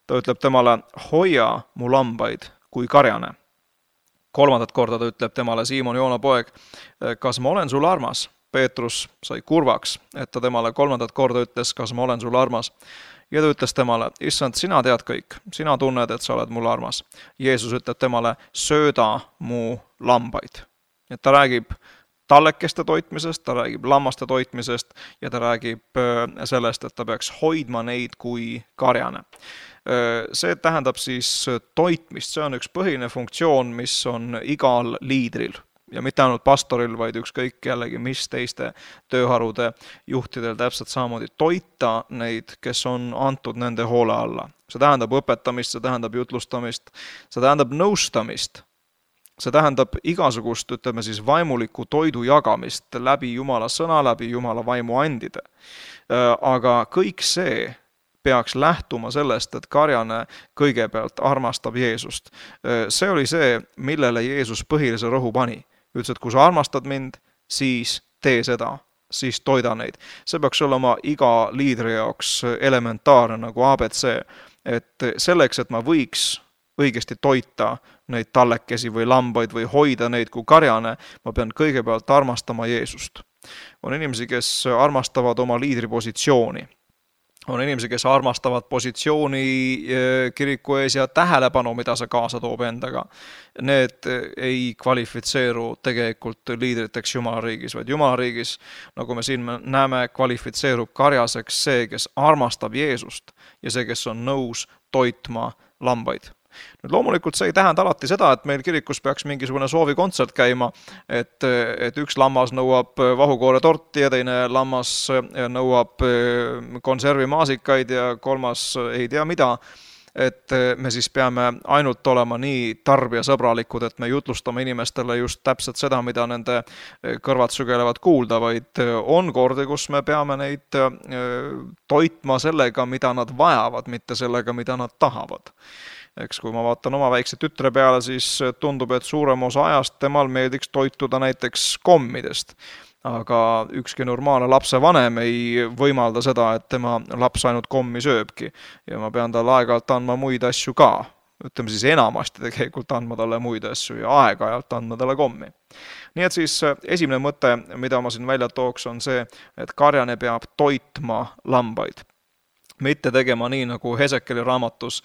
Ta ütleb temale, hoia mu lambaid kui karjane. Kolmandat korda ta ütleb temale, Siimon Joona poeg, kas ma olen sulle armas? Peetrus sai kurvaks, et ta temale kolmandat korda ütles, kas ma olen sulle armas. Ja ta ütles temale, issand, sina tead kõik, sina tunned, et sa oled mulle armas. Jeesus ütleb temale, sööda mu lambaid. Et ta räägib tallekeste toitmisest, ta räägib lammaste toitmisest ja ta räägib sellest, et ta peaks hoidma neid kui karjane. See tähendab siis toitmist, see on üks põhiline funktsioon, mis on igal liidril. Ja mitte ainult pastoril, vaid ükskõik jällegi, mis teiste tööharude juhtidel täpselt samamoodi toita neid, kes on antud nende hoole alla. See tähendab õpetamist, see tähendab jutlustamist, see tähendab nõustamist, see tähendab igasugust, ütleme siis, vaimuliku toidu jagamist läbi Jumala sõna, läbi Jumala vaimu andide. Aga kõik see peaks lähtuma sellest, et karjane kõigepealt armastab Jeesust. See oli see, millele Jeesus põhilise rõhu pani. Ütles, et kui sa armastad mind, siis tee seda, siis toida neid. See peaks olema iga liidri jaoks elementaarne nagu ABC, et selleks, et ma võiks õigesti toita neid tallekesi või lambaid või hoida neid kui karjane, ma pean kõigepealt armastama Jeesust. On inimesi, kes armastavad oma liidri positsiooni. On inimesi, kes armastavad positsiooni kiriku ees ja tähelepanu, mida see kaasa toob endaga. Need ei kvalifitseeru tegelikult liidriteks Jumala riigis, vaid Jumala riigis, nagu me siin näeme, kvalifitseerub karjaseks see, kes armastab Jeesust ja see, kes on nõus toitma lambaid. Nüüd loomulikult see ei tähenda alati seda, et meil kirikus peaks mingisugune soovikontsert käima, et üks lammas nõuab vahukoore torti ja teine lammas nõuab konservimaasikaid ja kolmas ei tea mida, et me siis peame ainult olema nii tarbijasõbralikud, et me jutlustame inimestele just täpselt seda, mida nende kõrvad sügelevad kuulda, vaid on kordi, kus me peame neid toitma sellega, mida nad vajavad, mitte sellega, mida nad tahavad. Eks kui ma vaatan oma väikse tütre peale, siis tundub, et suurem osa ajast temal meeldiks toituda näiteks kommidest. Aga ükski normaalne lapsevanem ei võimalda seda, et tema laps ainult kommi sööbki. Ja ma pean talle aeg-ajalt andma muid asju ka. Ütleme siis enamasti tegelikult andma talle muid asju ja aeg-ajalt andma talle kommi. Nii et siis esimene mõte, mida ma siin välja tooks, on see, et karjane peab toitma lambaid. Mitte tegema nii, nagu Hesekeli raamatus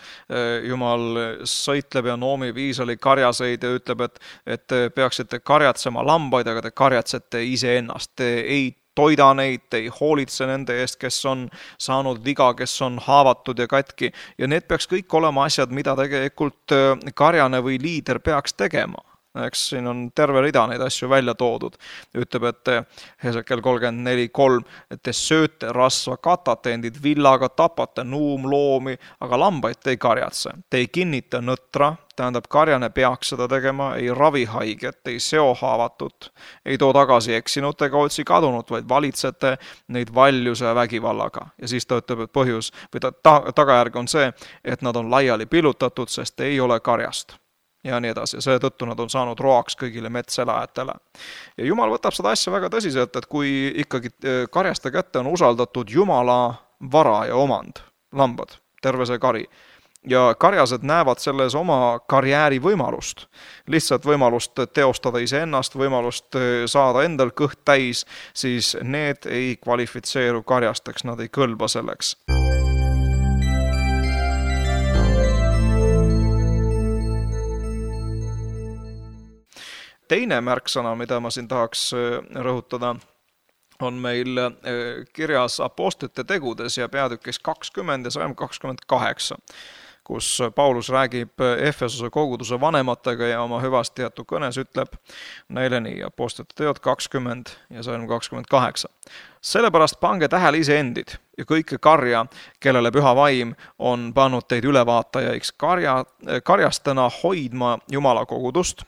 Jumal sõitleb ja noomib Iisraeli karjaseid ja ütleb, et peaksite karjatsema lambaid, aga te karjatsete iseennast. Te ei toida neid, te ei hoolitse nende eest, kes on saanud viga, kes on haavatud ja katki. Ja need peaks kõik olema asjad, mida tegelikult karjane või liider peaks tegema. Eks siin on terve rida neid asju välja toodud. Ütleb, et Hesekel 34.3, et te sööte rasva, katate endid villaga, tapate nuumloomi, aga lambaid te ei karjatse. Te ei kinnita nõtra, tähendab karjane peaks seda tegema, ei ravi haiget, ei seo haavatut, ei too tagasi eksinut ega otsi kadunut, vaid valitsete neid valjuse ja vägivallaga. Ja siis ta ütleb, et põhjus või tagajärg on see, et nad on laiali pillutatud, sest ei ole karjast. Ja nii edasi. Selle tõttu nad on saanud roaks kõigile metselajatele. Ja Jumal võtab seda asja väga tõsiselt, et kui ikkagi karjaste kätte on usaldatud Jumala vara ja omand, lambad, terve see kari, ja karjased näevad selles oma karjääri võimalust, lihtsalt võimalust teostada iseennast, võimalust saada endal kõht täis, siis need ei kvalifitseeru karjasteks, nad ei kõlba selleks. Teine märksõna, mida ma siin tahaks rõhutada, on meil kirjas Apostlite tegudes ja peatükis 20 ja 28, kus Paulus räägib Efesose koguduse vanematega ja oma hüvastijätu kõnes ütleb neile nii, Apostlite teod 20 ja 28. Sellepärast pange tähele iseendid ja kõike karja, kellele püha vaim on pannud teid ülevaatajaiks karjastena hoidma Jumala kogudust,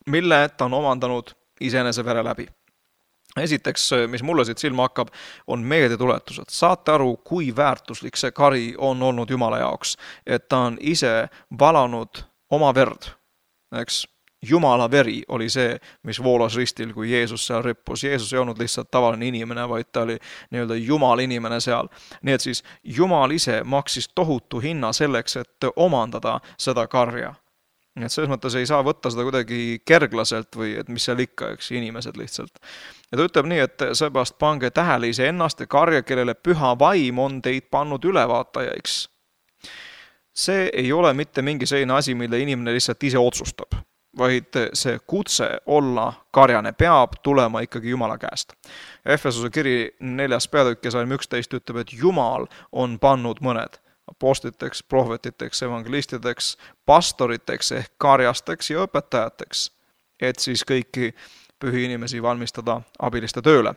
mille ta on omandanud iseenese vere läbi. Esiteks, mis mulle siit silma hakkab, on meeldetuletused. Saate aru, kui väärtuslik see kari on olnud Jumala jaoks, et ta on ise valanud oma verd. Eks Jumala veri oli see, mis voolas ristil, kui Jeesus seal rippus. Jeesus ei olnud lihtsalt tavaline inimene, vaid ta oli nii-öelda Jumal inimene seal. Nii et siis Jumal ise maksis tohutu hinna selleks, et omandada seda karja. Nii et selles mõttes ei saa võtta seda kuidagi kerglaselt või et mis seal ikka, eks, inimesed lihtsalt. Ja ta ütleb nii, et seepärast pange tähele iseennast ja karja, kellele püha vaim on teid pannud ülevaatajaiks. See ei ole mitte mingi selline asi, mille inimene lihtsalt ise otsustab, vaid see kutse olla karjane peab tulema ikkagi Jumala käest. Efesose kiri 4. peatükk ja salm 11 ütleb, et Jumal on pannud mõned apostliteks, prohvetiteks, evangelistideks, pastoriteks ehk karjasteks ja õpetajateks, et siis kõiki pühi inimesi valmistada abiliste tööle.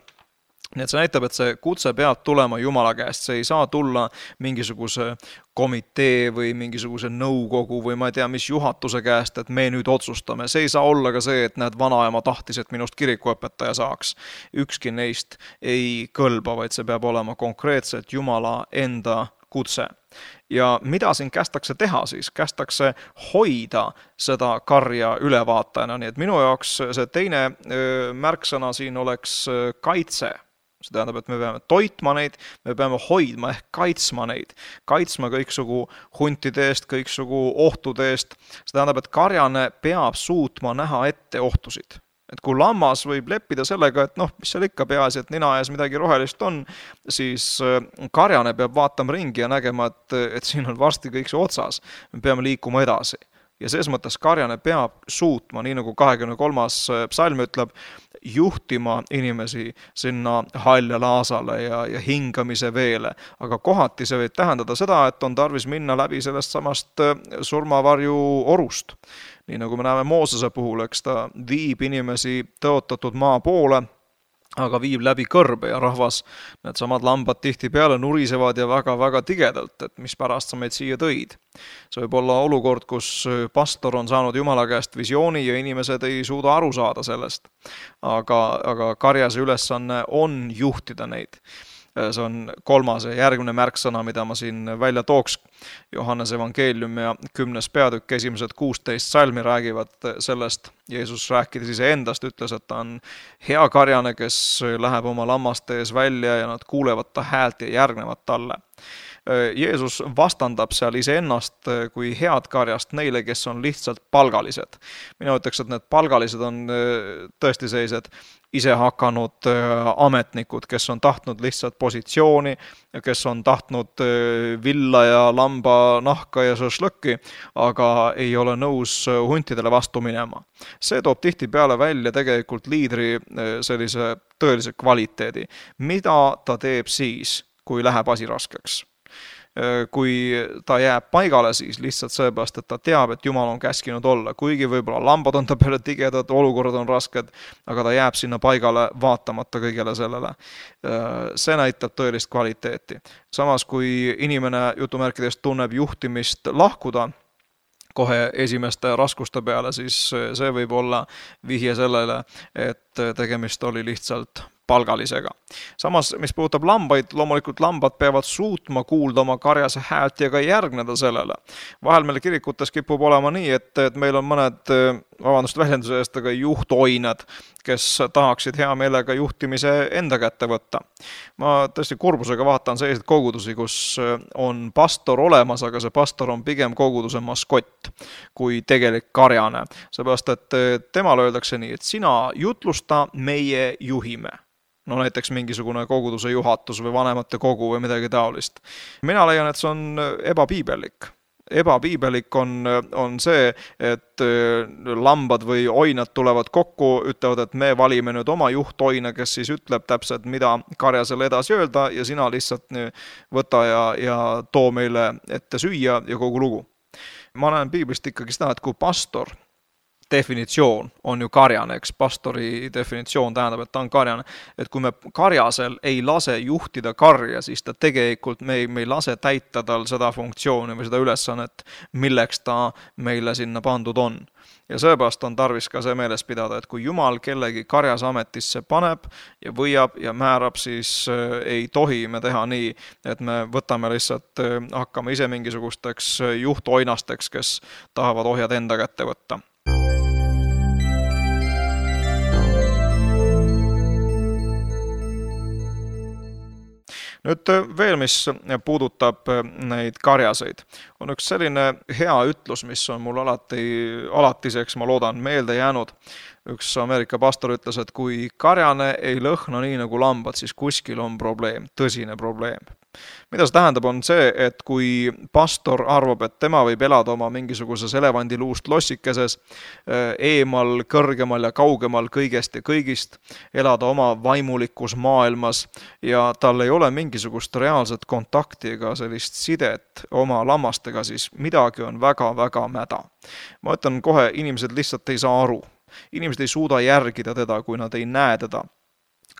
Nii et see näitab, et see kutse peab tulema Jumala käest, see ei saa tulla mingisuguse komitee või mingisuguse nõukogu või ma ei tea, mis juhatuse käest, et me nüüd otsustame. See ei saa olla ka see, et näed, vanaema tahtis, et minust kirikuõpetaja saaks. Ükski neist ei kõlba, vaid see peab olema konkreetselt Jumala enda kutse. Ja mida siin kästakse teha siis? Kästakse hoida seda karja ülevaatajana, nii et minu jaoks see teine märksõna siin oleks kaitse. See tähendab, et me peame toitma neid, me peame hoidma ehk kaitsma neid. Kaitsma kõiksugu huntide eest, kõiksugu ohtude eest. See tähendab, et karjane peab suutma näha ette ohtusid. Et kui lammas võib leppida sellega, et mis seal ikka peaasi, et nina ees midagi rohelist on, siis karjane peab vaatama ringi ja nägema, et siin on varsti kõik see otsas. Me peame liikuma edasi. Ja selles mõttes karjane peab suutma, nii nagu 23. psalm ütleb, juhtima inimesi sinna haljale aasale ja hingamise veele. Aga kohati see võib tähendada seda, et on tarvis minna läbi sellest samast surmavarju orust. Nii nagu me näeme Moosese puhul, eks ta viib inimesi tõotatud maa poole, aga viib läbi kõrbe ja rahvas, need samad lambad tihti peale nurisevad ja väga-väga tigedalt, et mis pärast sa meid siia tõid. See võib olla olukord, kus pastor on saanud Jumala käest visiooni ja inimesed ei suuda aru saada sellest. Aga karjase ülesanne on juhtida neid. See on 3. ja järgmine märksõna, mida ma siin välja tooks. Johannes evangeelium ja 10. peatükk, esimesed 16 salmi räägivad sellest. Jeesus rääkides iseendast, ütles, et ta on hea karjane, kes läheb oma lammaste ees välja ja nad kuulevad ta häält ja järgnevad talle. Jeesus vastandab seal iseennast kui head karjast neile, kes on lihtsalt palgalised. Mina ütleks, et need palgalised on tõesti sellised ise hakanud ametnikud, kes on tahtnud lihtsalt positsiooni ja kes on tahtnud villa ja lamba nahka ja šašlõkki, aga ei ole nõus huntidele vastu minema. See toob tihti peale välja tegelikult liidri sellise tõelise kvaliteedi. Mida ta teeb siis, kui läheb asi raskeks? Kui ta jääb paigale siis lihtsalt seepärast, et ta teab, et Jumal on käskinud olla. Kuigi võib-olla lambad on ta peale tigedad, olukorrad on rasked, aga ta jääb sinna paigale vaatamata kõigele sellele. See näitab tõelist kvaliteeti. Samas, kui inimene jutumärkidest tunneb juhtimist lahkuda kohe esimeste raskuste peale, siis see võib olla vihje sellele, et tegemist oli lihtsalt palgalisega. Samas, mis puudutab lambaid, loomulikult lambad peavad suutma kuulda oma karjase häält ja ka järgneda sellele. Vahel meil kirikutes kipub olema nii, et meil on mõned, väljenduse eest, aga juhtoinad, kes tahaksid hea meelega juhtimise enda kätte võtta. Ma tõesti kurbusega vaatan selliseid kogudusi, kus on pastor olemas, aga see pastor on pigem koguduse maskott kui tegelik karjane. Seepärast, et temale öeldakse nii, et sina jutlusta, meie juhime. No näiteks mingisugune koguduse juhatus või vanemate kogu või midagi taolist. Mina leian, et see on ebapiibellik. Ebapiibelik on see, et lambad või oinad tulevad kokku, ütlevad, et me valime nüüd oma juhtoina, kes siis ütleb täpselt, mida karjasele edasi öelda ja sina lihtsalt võta ja too meile ette süüa ja kogu lugu. Ma näen piiblist ikkagi seda, et kui pastor definitsioon on ju karjane, eks pastori definitsioon tähendab, et ta on karjane, et kui me karjasel ei lase juhtida karja, siis ta tegelikult me ei lase täita tal seda funktsiooni või seda ülesannet, milleks ta meile sinna pandud on. Ja seepärast on tarvis ka see meeles pidada, et kui Jumal kellegi karjas ametisse paneb ja võiab ja määrab, siis ei tohi me teha nii, et me võtame lihtsalt, hakkame ise mingisugusteks juhtoinasteks, kes tahavad ohjad enda kätte võtta. Nüüd veel, mis puudutab neid karjaseid, on üks selline hea ütlus, mis on mul alatiseks, ma loodan, meelde jäänud. Üks Ameerika pastor ütles, et kui karjane ei lõhna nii nagu lambad, siis kuskil on probleem, tõsine probleem. Mida see tähendab, on see, et kui pastor arvab, et tema võib elada oma mingisuguses elevandiluust lossikeses, eemal, kõrgemal ja kaugemal kõigest ja kõigist, elada oma vaimulikus maailmas ja tal ei ole mingisugust reaalset kontakti ega sellist sidet oma lammastega, siis midagi on väga-väga mäda. Ma ütlen kohe, inimesed lihtsalt ei saa aru. Inimesed ei suuda järgida teda, kui nad ei näe teda.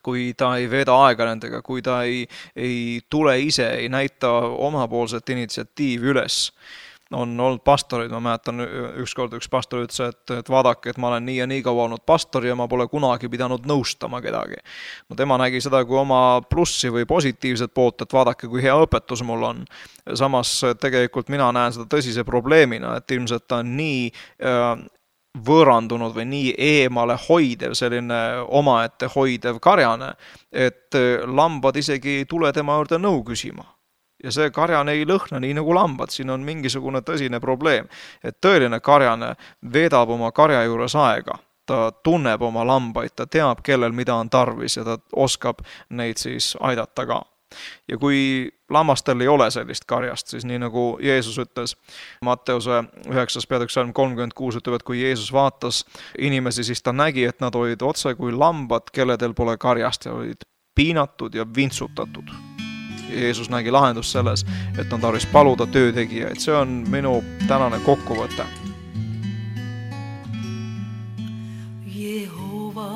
Kui ta ei veeda aega nendega, kui ta ei tule ise, ei näita omapoolset initsiatiivi üles. on olnud pastorid, ma mäletan ükskord üks pastor ütles, et vaadake, et ma olen nii ja nii kaua olnud pastor ja ma pole kunagi pidanud nõustama kedagi. No tema nägi seda kui oma plussi või positiivset poolt, et vaadake, kui hea õpetus mul on. Samas tegelikult mina näen seda tõsise probleemina, et ilmselt ta on nii võõrandunud või nii eemale hoidev, selline omaette hoidev karjane, et lambad isegi ei tule tema juurde nõu küsima. Ja see karjane ei lõhna nii nagu lambad, siin on mingisugune tõsine probleem, et tõeline karjane veedab oma karja juures aega. Ta tunneb oma lambaid, ta teab, kellel mida on tarvis ja ta oskab neid siis aidata ka. Ja kui lammastel ei ole sellist karjast, siis nii nagu Jeesus ütles, Matteuse 9. peatükk salm 36 ütleb, et kui Jeesus vaatas inimesi, siis ta nägi, et nad olid otse kui lambad, kelledel pole karjast ja olid piinatud ja vintsutatud. Jeesus nägi lahendust selles, et on tarvis paluda töötegijaid. See on minu tänane kokkuvõte. Jehova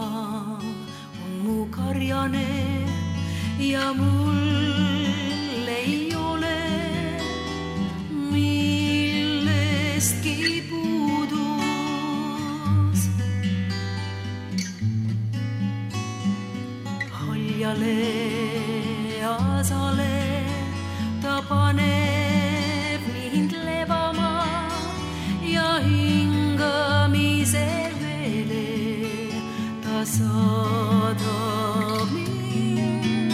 on mu karjane ja mul ei ole millestki puudus. Haljale asale ta paneb mind levama ja hingamise veele ta saadab mind.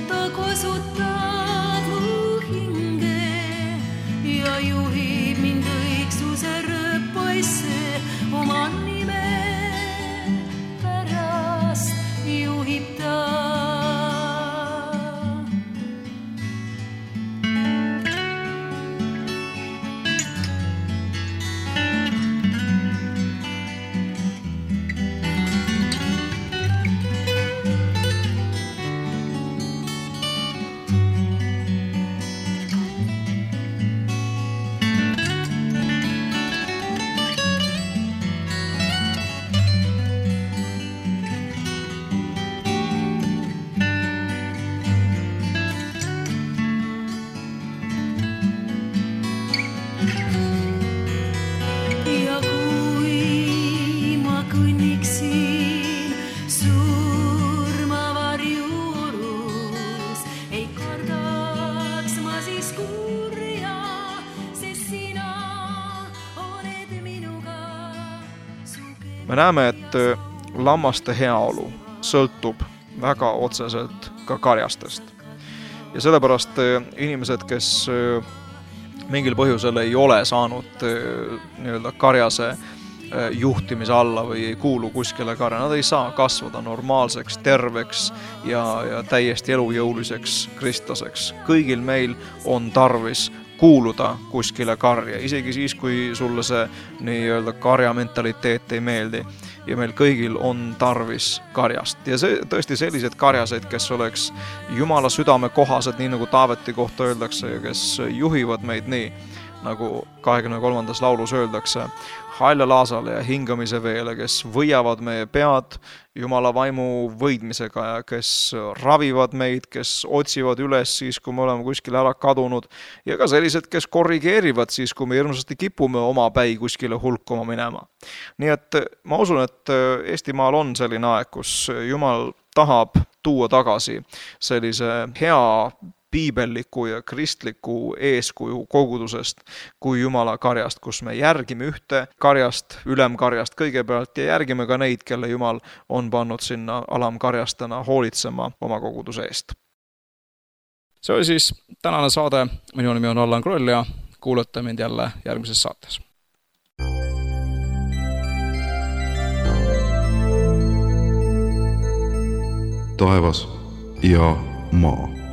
Ta kosutab mu hinge ja juhib mind õigsuse rõõpaisse oma nime pärast juhib ta. Me näeme, et lammaste heaolu sõltub väga otseselt ka karjastest. Ja sellepärast inimesed, kes mingil põhjusel ei ole saanud nii-öelda karjase juhtimise alla või ei kuulu kuskile karja, nad ei saa kasvada normaalseks, terveks ja täiesti elujõuliseks kristlaseks. Kõigil meil on tarvis kuuluda kuskile karja, isegi siis, kui sulle see nii-öelda karja mentaliteet ei meeldi. Ja meil kõigil on tarvis karjast. Ja see, tõesti sellised karjased, kes oleks Jumala südame kohased, nii nagu Taaveti kohta öeldakse, ja kes juhivad meid nii, nagu 23. laulus öeldakse, haljalaasale ja hingamise veele, kes võiavad meie pead Jumala vaimu võidmisega ja kes ravivad meid, kes otsivad üles siis, kui me oleme kuskile ära kadunud ja ka sellised, kes korrigeerivad siis, kui me hirmsasti kipume oma päi kuskile hulkuma minema. Nii et ma usun, et Eestimaal on selline aeg, kus Jumal tahab tuua tagasi sellise hea piibelliku ja kristliku eeskuju kogudusest kui Jumala karjast, kus me järgime ühte karjast, ülemkarjast kõigepealt ja järgime ka neid, kelle Jumal on pannud sinna alamkarjastena hoolitsema oma koguduse eest. See oli siis tänane saade. Minu nimi on Allan Kroll ja kuulate mind jälle järgmises saates. Taevas ja maa.